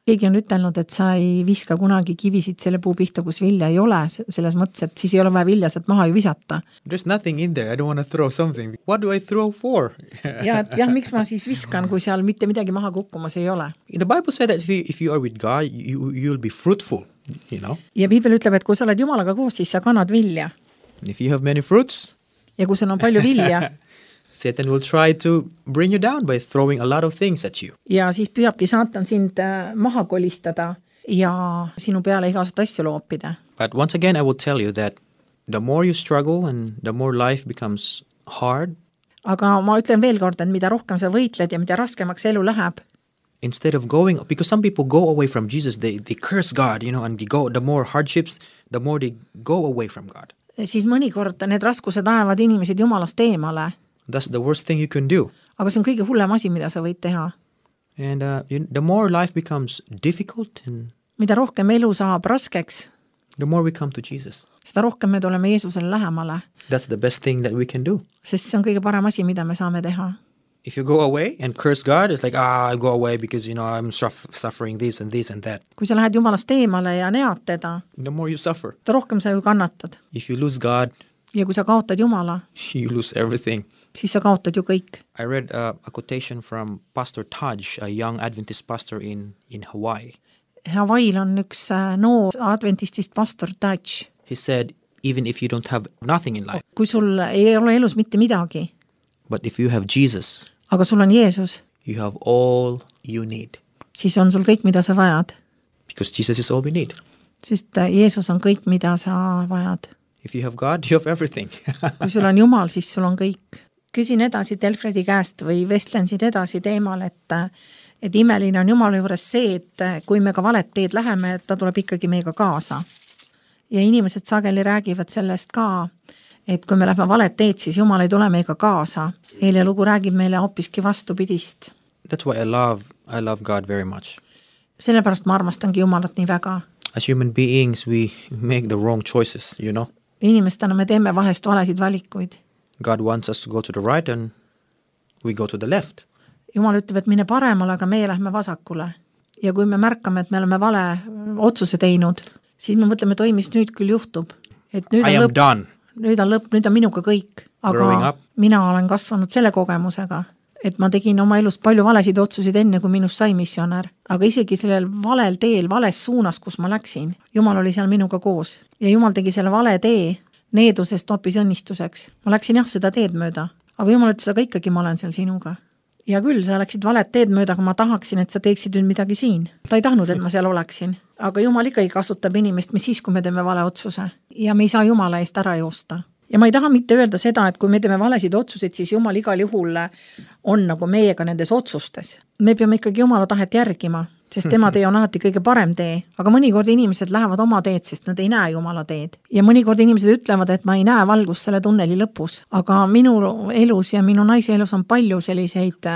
Keegi on ütelnud, et sa ei viska kunagi kivisid selle puu pihta, kus vilja ei ole, selles mõttes, et siis ei ole vaja vilja sealt maha ju visata. There's nothing in there, I don't want to throw something. What do I throw for? Ja et jah, miks ma siis viskan, kui seal mitte midagi maha kukkumas ei ole. The Bible said that if you are with God, you'll be fruitful, you know. Ja Piibel ütleb, et kui sa oled Jumalaga koos, siis sa kannad vilja. If you have many fruits, ja kui sul on palju vilja, Satan will try to bring you down by throwing a lot of things at you. Ja siis püüabki saatan sind maha kolistada ja sinu peale igasugust asju loopida. But once again, I will tell you that the more you struggle and the more life becomes hard, aga ma ütlen veel kord, et mida rohkem sa võitled ja mida raskemaks elu läheb, instead of going, because some people go away from Jesus, they curse God, you know, and the more hardships, the more they go away from God. Siis mõnikord need raskused ajavad inimesed Jumalast eemale. That's the worst thing you can do. Aga see on kõige hullem asi, mida sa võid teha. And the more life becomes difficult and mida rohkem elu saab raskeks, the more we come to Jesus. seda rohkem me tuleme Jeesusele lähemale. That's the best thing that we can do. Sest see on kõige parem asi, mida me saame teha. If you go away and curse God, it's like, I go away because, you know, I'm suffering this and that. Kui sa lähed Jumalast eemale ja nead teda, The more you suffer. seda rohkem sa ju kannatad. If you lose God, Ja kui sa kaotad Jumala, you lose everything. siis sa kaotad ju kõik. I read a quotation from Pastor Taj, a young Adventist pastor in Hawaii. Hawaiil on üks noor adventistist pastor Taj. He said, even if you don't have nothing in life, Kui sul ei ole elus mitte midagi, but if you have Jesus, aga sul on Jeesus, you have all you need. siis on sul kõik, mida sa vajad. Because Jesus is all we need. Sest Jeesus on kõik, mida sa vajad. If you have God, you have everything. Kui sul on Jumal, siis sul on kõik. Küsin edasi Delfredi käest või vestlen siin edasi teemal, et imeline on Jumala juures see, et kui me ka valet teed läheme, ta tuleb ikkagi meiega kaasa. Ja inimesed sageli räägivad sellest ka, et kui me lähme valet teed, siis Jumal ei tule meiega kaasa. Eile lugu räägib meile hoopiski vastupidist. That's why I love God very much. Sellepärast ma armastangi Jumalat nii väga. As human beings, we make the wrong choices, you know. Inimestena me teeme vahest valesid valikuid. God wants us to go to the right and we go to the left. Jumal ütleb, et mine paremale, aga meie lähme vasakule. Ja kui me märkame, et me oleme vale otsuse teinud, siis me mõtleme, et mis nüüd küll juhtub. Et nüüd I am done. Nüüd on minuga kõik. Aga mina olen kasvanud selle kogemusega, et ma tegin oma elus palju valesid otsusid enne, kui minust sai missionär. Aga isegi sellel valel teel, vales suunas, kus ma läksin, Jumal oli seal minuga koos. Ja Jumal tegi selle vale tee needusest hoopis õnnistuseks. Ma läksin jah seda teed mööda, aga Jumal ütles, aga ikkagi ma olen seal sinuga. Ja küll, sa läksid valet teed mööda, aga ma tahaksin, et sa teeksid nüüd midagi siin. Ta ei tahtnud, et ma seal oleksin. Aga Jumal ikkagi kasutab inimest, mis siis, kui me teeme vale otsuse. Ja me ei saa Jumala eest ära joosta. Ja ma ei taha mitte öelda seda, et kui me teeme valesid otsuseid, siis Jumal igal juhul on nagu meiega nendes otsustes. Me peame ikkagi Jumala tahet järgima, sest tema tee on alati kõige parem tee. Aga mõnikord inimesed lähevad oma teed, sest nad ei näe Jumala teed. Ja mõnikord inimesed ütlevad, et ma ei näe valgust selle tunneli lõpus. Aga minu elus ja minu naise elus on palju selliseid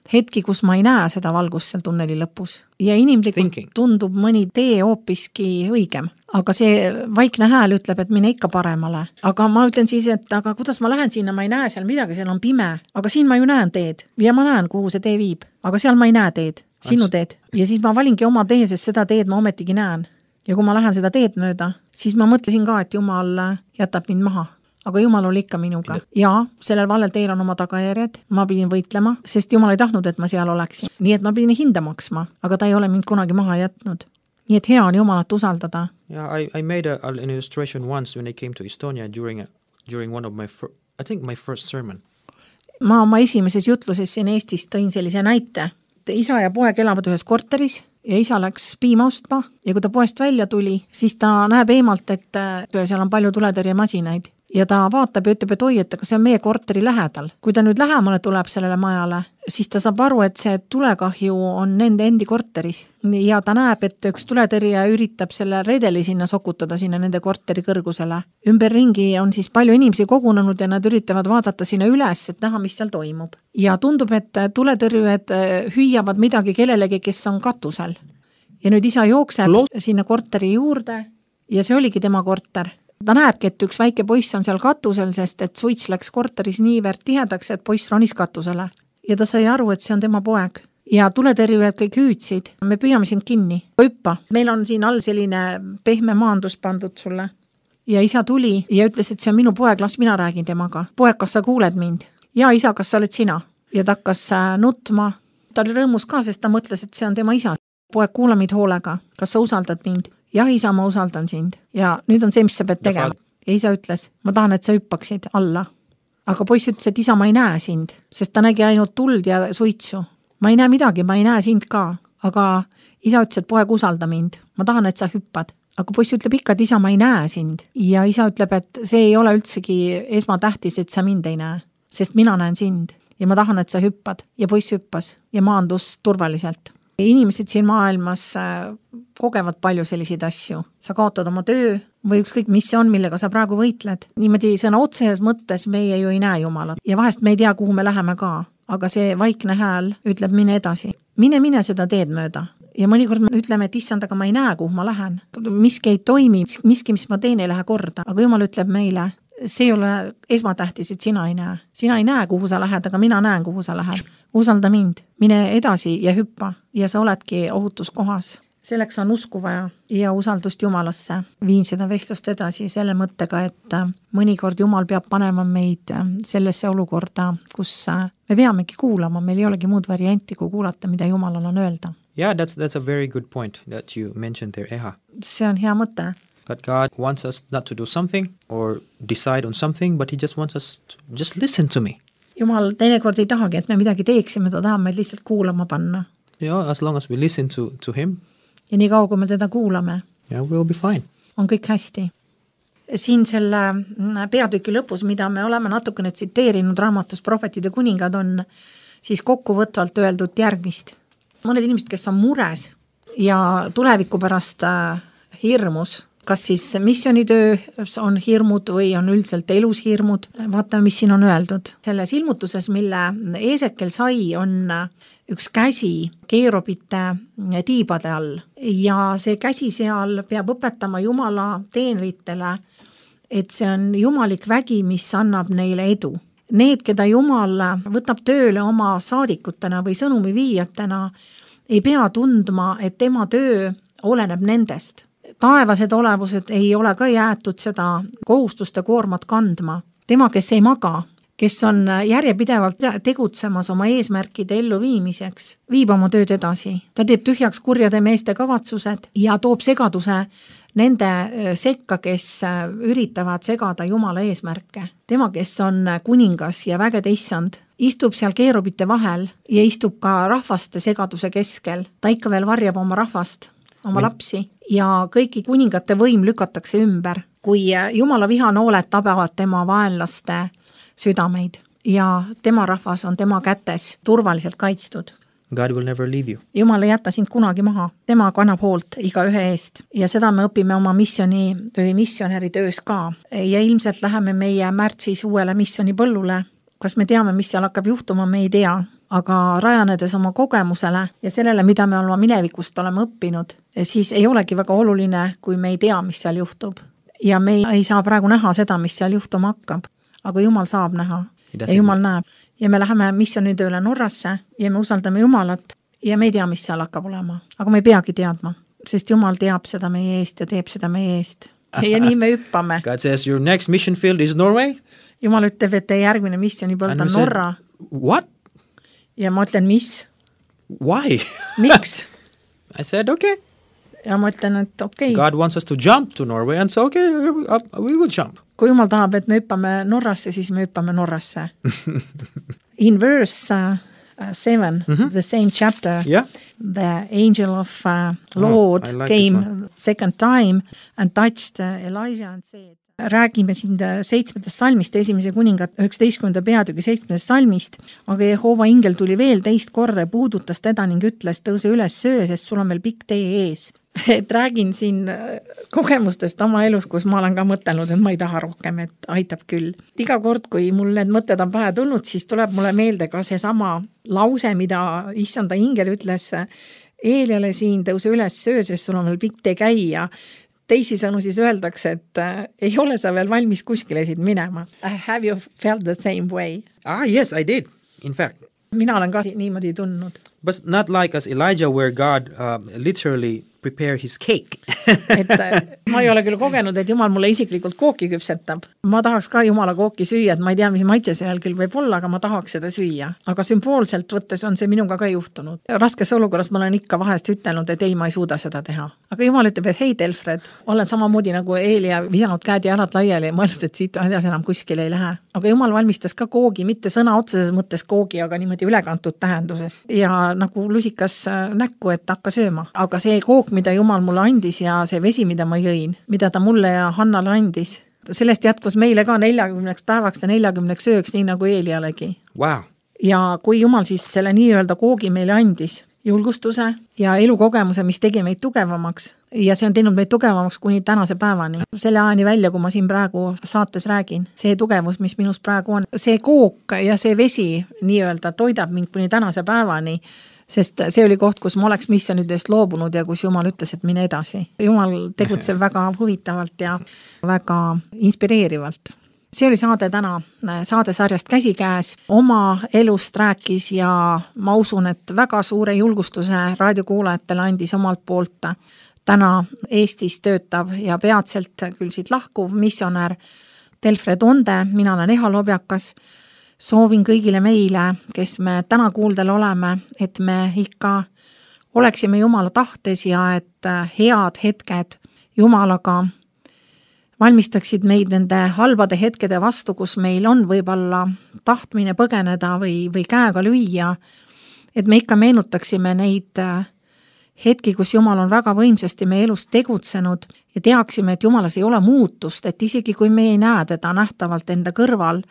hetki, kus ma ei näe seda valgust seal tunneli lõpus. Ja inimlikult tundub mõni tee hoopiski õigem. Aga see vaikne hääl ütleb, et mine ikka paremale. Aga ma ütlen siis, et aga kuidas ma lähen sinna, ma ei näe seal midagi, seal on pime. Aga siin ma ju näen teed ja ma näen, kuhu see tee viib. Aga seal ma ei näe teed, sinu teed. Ja siis ma valingi oma tee, sest seda teed ma ometigi näen. Ja kui ma lähen seda teed mööda, siis ma mõtlesin ka, et Jumal jätab mind maha. Aga Jumal oli ikka minuga. Ja sellel valel teel on oma tagajärjed. Ma pidin võitlema, sest Jumal ei tahtnud, et ma seal oleksin. Nii et ma pidin hinda maksma, aga ta ei ole mind kunagi maha jätnud. Nii et hea on Jumalat usaldada. Yeah, I made an illustration once when I came to Estonia during one of my first sermon. Ma oma esimeses jutluses siin Eestis tõin sellise näite. Isa ja poeg elavad ühes korteris ja isa läks piima ostma ja kui ta poest välja tuli, siis ta näeb eemalt, et seal on palju tuletõrjemasinaid. Ja ta vaatab ja ütleb, et oi, et see on meie korteri lähedal. Kui ta nüüd lähemale tuleb sellele majale, siis ta saab aru, et see tulekahju on nende endi korteris. Ja ta näeb, et üks tuletõrje üritab selle redeli sinna sokutada sinna nende korteri kõrgusele. Ümberringi on siis palju inimesi kogunenud ja nad üritavad vaadata sinna üles, et näha, mis seal toimub. Ja tundub, et tuletõrjujad hüüavad midagi kellelegi, kes on katusel. Ja nüüd isa jookseb sinna korteri juurde ja see oligi tema korter. Ta näebki, et üks väike poiss on seal katusel, sest et suits läks korteris niivõrd tihedaks, et poiss ronis katusele. ja ta sai aru, et see on tema poeg. Ja tuletõrjujad kõik hüüdsid, me püüame sind kinni, hüppa. Meil on siin all selline pehme maandus pandud sulle. Ja isa tuli ja ütles, et see on minu poeg, las mina räägin temaga. Poeg, kas sa kuuled mind? Ja isa, kas sa oled sina? Ja ta hakkas nutma. Ta oli rõõmus ka, sest ta mõtles, et see on tema isa. Poeg, kuula meid hoolega. Kas sa usaldad mind? Ja isa, ma usaldan sind. Ja nüüd on see, mis sa pead tegema. Ja isa ütles, ma tahan, et sa hüppaksid alla. Aga poiss ütles, et isa, ma ei näe sind, sest ta nägi ainult tuld ja suitsu. Ma ei näe midagi, ma ei näe sind ka. Aga isa ütles, et poeg, usalda mind. Ma tahan, et sa hüppad. Aga poiss ütleb ikka, et isa, ma ei näe sind. Ja isa ütleb, et see ei ole üldsegi esmatähtis, et sa mind ei näe, sest mina näen sind. Ja ma tahan, et sa hüppad. Ja poiss hüppas ja maandus turvaliselt. Inimesed siin maailmas kogevad palju selliseid asju. Sa kaotad oma töö või ükskõik, mis see on, millega sa praegu võitled. Niimoodi sõna otseses mõttes meie ju ei näe Jumalat. Ja vahest me ei tea, kuhu me läheme ka. Aga see vaikne hääl ütleb, mine edasi. Mine seda teed mööda. Ja mõnikord me ütleme, et issand, aga ma ei näe, kuhu ma lähen. Miski ei toimi, miski, mis ma teen, ei lähe korda. Aga Jumal ütleb meile, see ei ole esmatähtis, et sina ei näe. Sina ei näe, kuhu sa lähed, aga mina näen, kuhu sa lähed. Usalda mind, mine edasi ja hüppa ja sa oledki ohutuskohas. Selleks on usku vaja ja usaldust Jumalasse. Viin seda vestlust edasi selle mõttega, et mõnikord Jumal peab panema meid sellesse olukorda, kus me peamegi kuulama, meil ei olegi muud varianti, kui kuulata, mida Jumalal on öelda. Yeah, that's a very good point that you mentioned there, Eha. See on hea mõte. But God wants us not to do something or decide on something, but he just wants us to just listen to me. Jumal teinekord ei tahagi, et me midagi teeksime, ta tahab meid lihtsalt kuulama panna. Yeah, as long as we listen to him. Ja nii kaua, kui me teda kuulame. Yeah, we'll be fine. On kõik hästi. Siin selle peatüki lõpus, mida me oleme natukene tsiteerinud raamatus Prohvetide kuningad, on siis kokkuvõtvalt öeldud järgmist. Mõned inimesed, kes on mures ja tuleviku pärast hirmus, kas siis missioonitöös on hirmud või on üldiselt elus hirmud. Vaatame, mis siin on öeldud. Selles ilmutuses, mille Eesekel sai, on üks käsi keerubite tiibade all. Ja see käsi seal peab õpetama Jumala teenritele, et see on jumalik vägi, mis annab neile edu. Need, keda Jumal võtab tööle oma saadikutena või sõnumi viijatena, ei pea tundma, et tema töö oleneb nendest. Taevased olevused ei ole ka jäetud seda kohustuste koormat kandma. Tema, kes ei maga, kes on järjepidevalt tegutsemas oma eesmärkide elluviimiseks, viib oma tööd edasi. Ta teeb tühjaks kurjade meeste kavatsused ja toob segaduse nende sekka, kes üritavad segada Jumala eesmärke. Tema, kes on kuningas ja vägede issand, istub seal keerubite vahel ja istub ka rahvaste segaduse keskel. Ta ikka veel varjab oma rahvast, oma lapsi ja kõiki kuningate võim lükatakse ümber, kui Jumala vihanooled tabavad tema vaenlaste südameid ja tema rahvas on tema kätes turvaliselt kaitstud. God will never leave you. Jumal ei jäta sind kunagi maha, tema kannab hoolt iga ühe eest ja seda me õpime oma missionäri töös ka ja ilmselt läheme meie märtsis uuele missionipõllule. Kas me teame, mis seal hakkab juhtuma, me ei tea, aga rajanedes oma kogemusele ja sellele, mida me oma minevikust oleme õppinud, siis ei olegi väga oluline, kui me ei tea, mis seal juhtub. Ja me ei saa praegu näha seda, mis seal juhtuma hakkab, aga Jumal saab näha ja Jumal näeb. Ja me läheme missioonitööle Norrasse ja me usaldame Jumalat ja me ei tea, mis seal hakkab olema. Aga me ei peagi teadma, sest Jumal teab seda meie eest ja teeb seda meie eest. Ja nii me hüppame. God says your next mission field is Norway. Jumal ütleb, et järgmine missionipõld on Norra. What? Ja ma ütlen, mis? Why? Miks? I said, okay. Ja ma ütlen, et okei. God wants us to jump to Norway and so okay, we will jump. Kui Jumal tahab, et me hüppame Norrasse, siis me hüppame Norrasse. In verse 7, the same chapter, the angel of Lord came second time and touched Elijah and said, räägime siin 7. salmist, 1. kuningat 19. peatüki 7. salmist, aga Jehova ingel tuli veel teist korda ja puudutas teda ning ütles, tõuse üles söö, sest sul on veel pikk tee ees. Et räägin siin kogemustest oma elus, kus ma olen ka mõtelnud, et ma ei taha rohkem, et aitab küll. Iga kord, kui mul need mõtted on pähe tulnud, siis tuleb mulle meelde ka see sama lause, mida issanda ingel ütles Eeliale siin, tõuse üles söö, sest sul on veel pikk tee käia. Teisi sõnu siis öeldakse, et ei ole sa veel valmis kuskile siit minema. Have you felt the same way? Yes, I did, in fact. Mina olen ka niimoodi tundnud. But not like as Elijah where God literally prepare his cake. Et ma ei ole küll kogenud, et Jumal mulle isiklikult kooki küpsetab. Ma tahaks ka Jumala kooki süüa, et ma ei tea, mis maitse seal küll võib olla, aga ma tahaks seda süüa. Aga sümboolselt võttes on see minuga ka juhtunud. Raskes olukorras ma olen ikka vahest ütelnud, et ei, ma ei suuda seda teha. Aga Jumal ütleb, et hei Delfred, olen samamoodi nagu Eelia visanud käed ja jalad laiali ja mõelnud, et siit edasi enam kuskil ei lähe. Aga Jumal valmistas ka koogi, mitte sõna otseses mõttes koogi, aga niimoodi ülekantud tähenduses. Ja nagu lusikas näkku, et hakka sööma. Aga see kook, mida Jumal mulle andis ja see vesi, mida ma jõin, mida ta mulle ja Hannale andis, sellest jätkus meile ka 40 päevaks ja 40 sööks, nii nagu Eelialegi. Wow. Ja kui Jumal siis selle nii-öelda koogi meile andis, julgustuse ja elukogemuse, mis tegi meid tugevamaks, ja see on teinud meid tugevamaks kuni tänase päevani. Selle ajani välja, kui ma siin praegu saates räägin, see tugevus, mis minus praegu on, see kook ja see vesi nii-öelda toidab mind kuni tänase päevani, sest see oli koht, kus ma oleks missionidest loobunud ja kus Jumal ütles, et mine edasi. Jumal tegutseb väga huvitavalt ja väga inspireerivalt. See oli saade täna, saadesarjast Käsikäes. Oma elust rääkis ja ma usun, et väga suure julgustuse raadiokuulajatele andis omalt poolt täna Eestis töötav ja peatselt küll siit lahkuv missionär Delfred Onde. Mina olen Eha Lobjakas. Soovin kõigile meile, kes me täna kuuldel oleme, et me ikka oleksime Jumala tahtes ja et head hetked Jumalaga valmistaksid meid nende halbade hetkede vastu, kus meil on võib-olla tahtmine põgeneda või käega lüüa, et me ikka meenutaksime neid hetki, kus Jumal on väga võimsasti meie elus tegutsenud ja teaksime, et Jumalas ei ole muutust, et isegi kui me ei näe teda nähtavalt enda kõrval,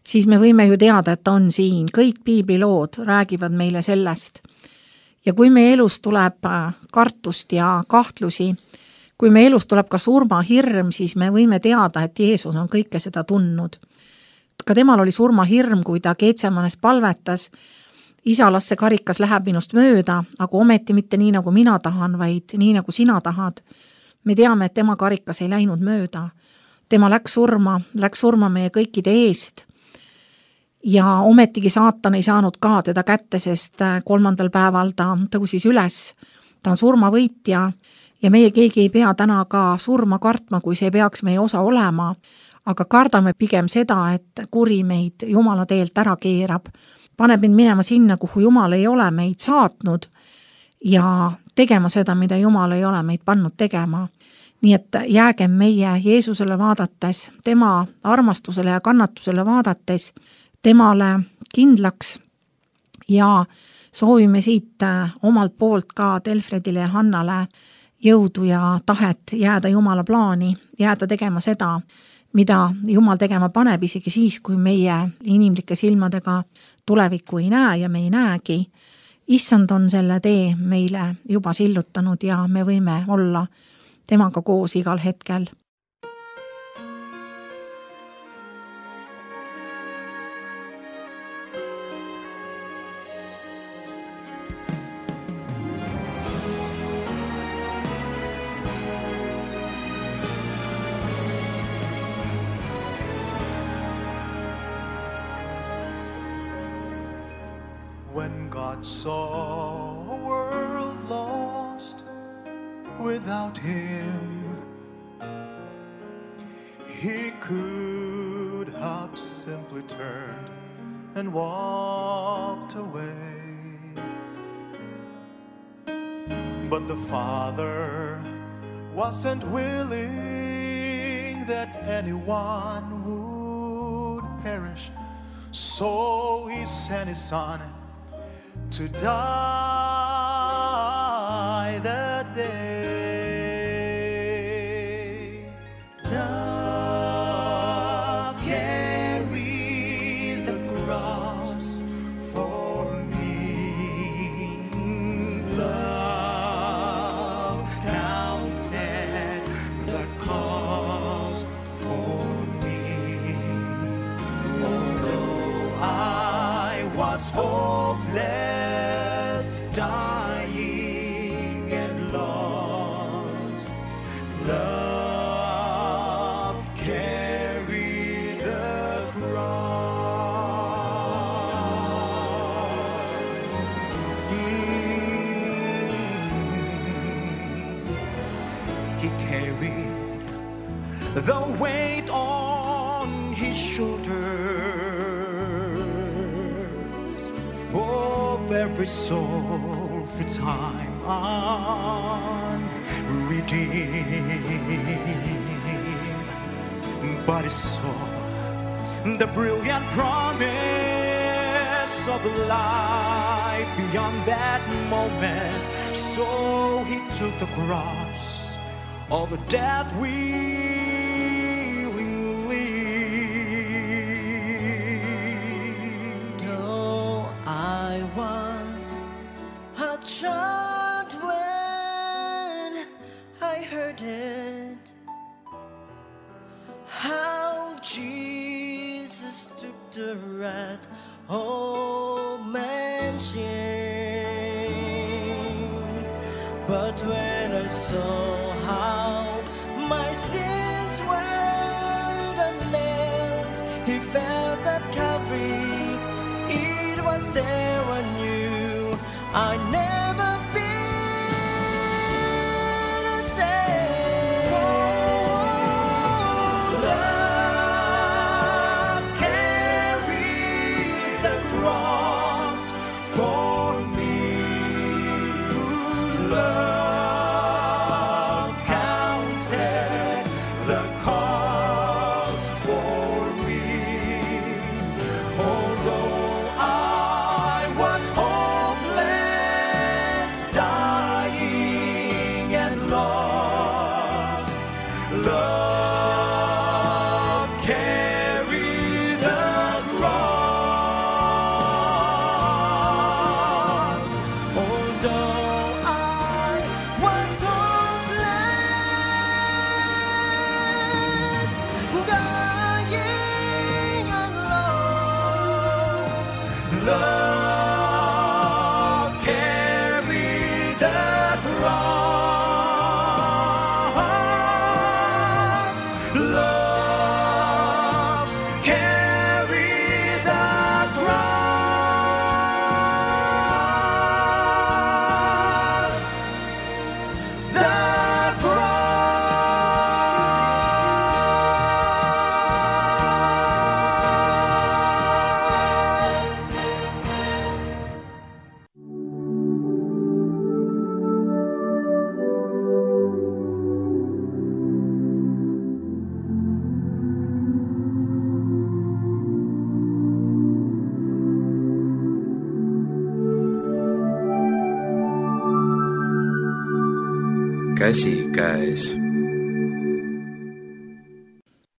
siis me võime ju teada, et ta on siin. Kõik piiblilood räägivad meile sellest. Ja kui meie elus tuleb kartust ja kahtlusi, kui meie elus tuleb ka surmahirm, siis me võime teada, et Jeesus on kõike seda tundnud. Ka temal oli surmahirm, kui ta Geetsemanes palvetas, isa, las see karikas läheb minust mööda, aga ometi mitte nii, nagu mina tahan, vaid nii, nagu sina tahad. Me teame, et tema karikas ei läinud mööda. Tema läks surma meie kõikide eest. Ja ometigi saatan ei saanud ka teda kätte, sest 3. päeval ta tõusis üles. Ta on surmavõitja ja meie keegi ei pea täna ka surma kartma, kui see peaks meie osa olema, aga kardame pigem seda, et kuri meid Jumala teelt ära keerab, paneb meid minema sinna, kuhu Jumal ei ole meid saatnud ja tegema seda, mida Jumal ei ole meid pannud tegema. Nii et jäägem meie Jeesusele vaadates, tema armastusele ja kannatusele vaadates, temale kindlaks ja soovime siit omalt poolt ka Delfredile ja Hannale jõudu ja tahet jääda Jumala plaani, jääda tegema seda, mida Jumal tegema paneb, isegi siis, kui meie inimlike silmadega tulevikku ei näe ja me ei näegi. Issand on selle tee meile juba sillutanud ja me võime olla temaga koos igal hetkel. When God saw a world lost without Him, He could have simply turned and walked away. But the Father wasn't willing that anyone would perish, so He sent His Son to die that day. Love carried the cross for me. Love counted the cost for me. Although I was hopeless, dying and lost, love carried the cross. the weight on his shoulders of every soul through time unredeemed. But he saw the brilliant promise of life beyond that moment. So he took the cross of death willingly. Though I was a child when I heard it, how Jesus took the wrath of man's shame. But when I saw how my sins were the nails he felt at Calvary, it was there I knew I'd never be the same. Love carried the cross for me. Love counted the cost for me. Although I was hopeless, dying and lost, love carried the cross. Although I was hopeless, dying and lost, Love carried the cross. Love carried the cross. The cross. Käsi käes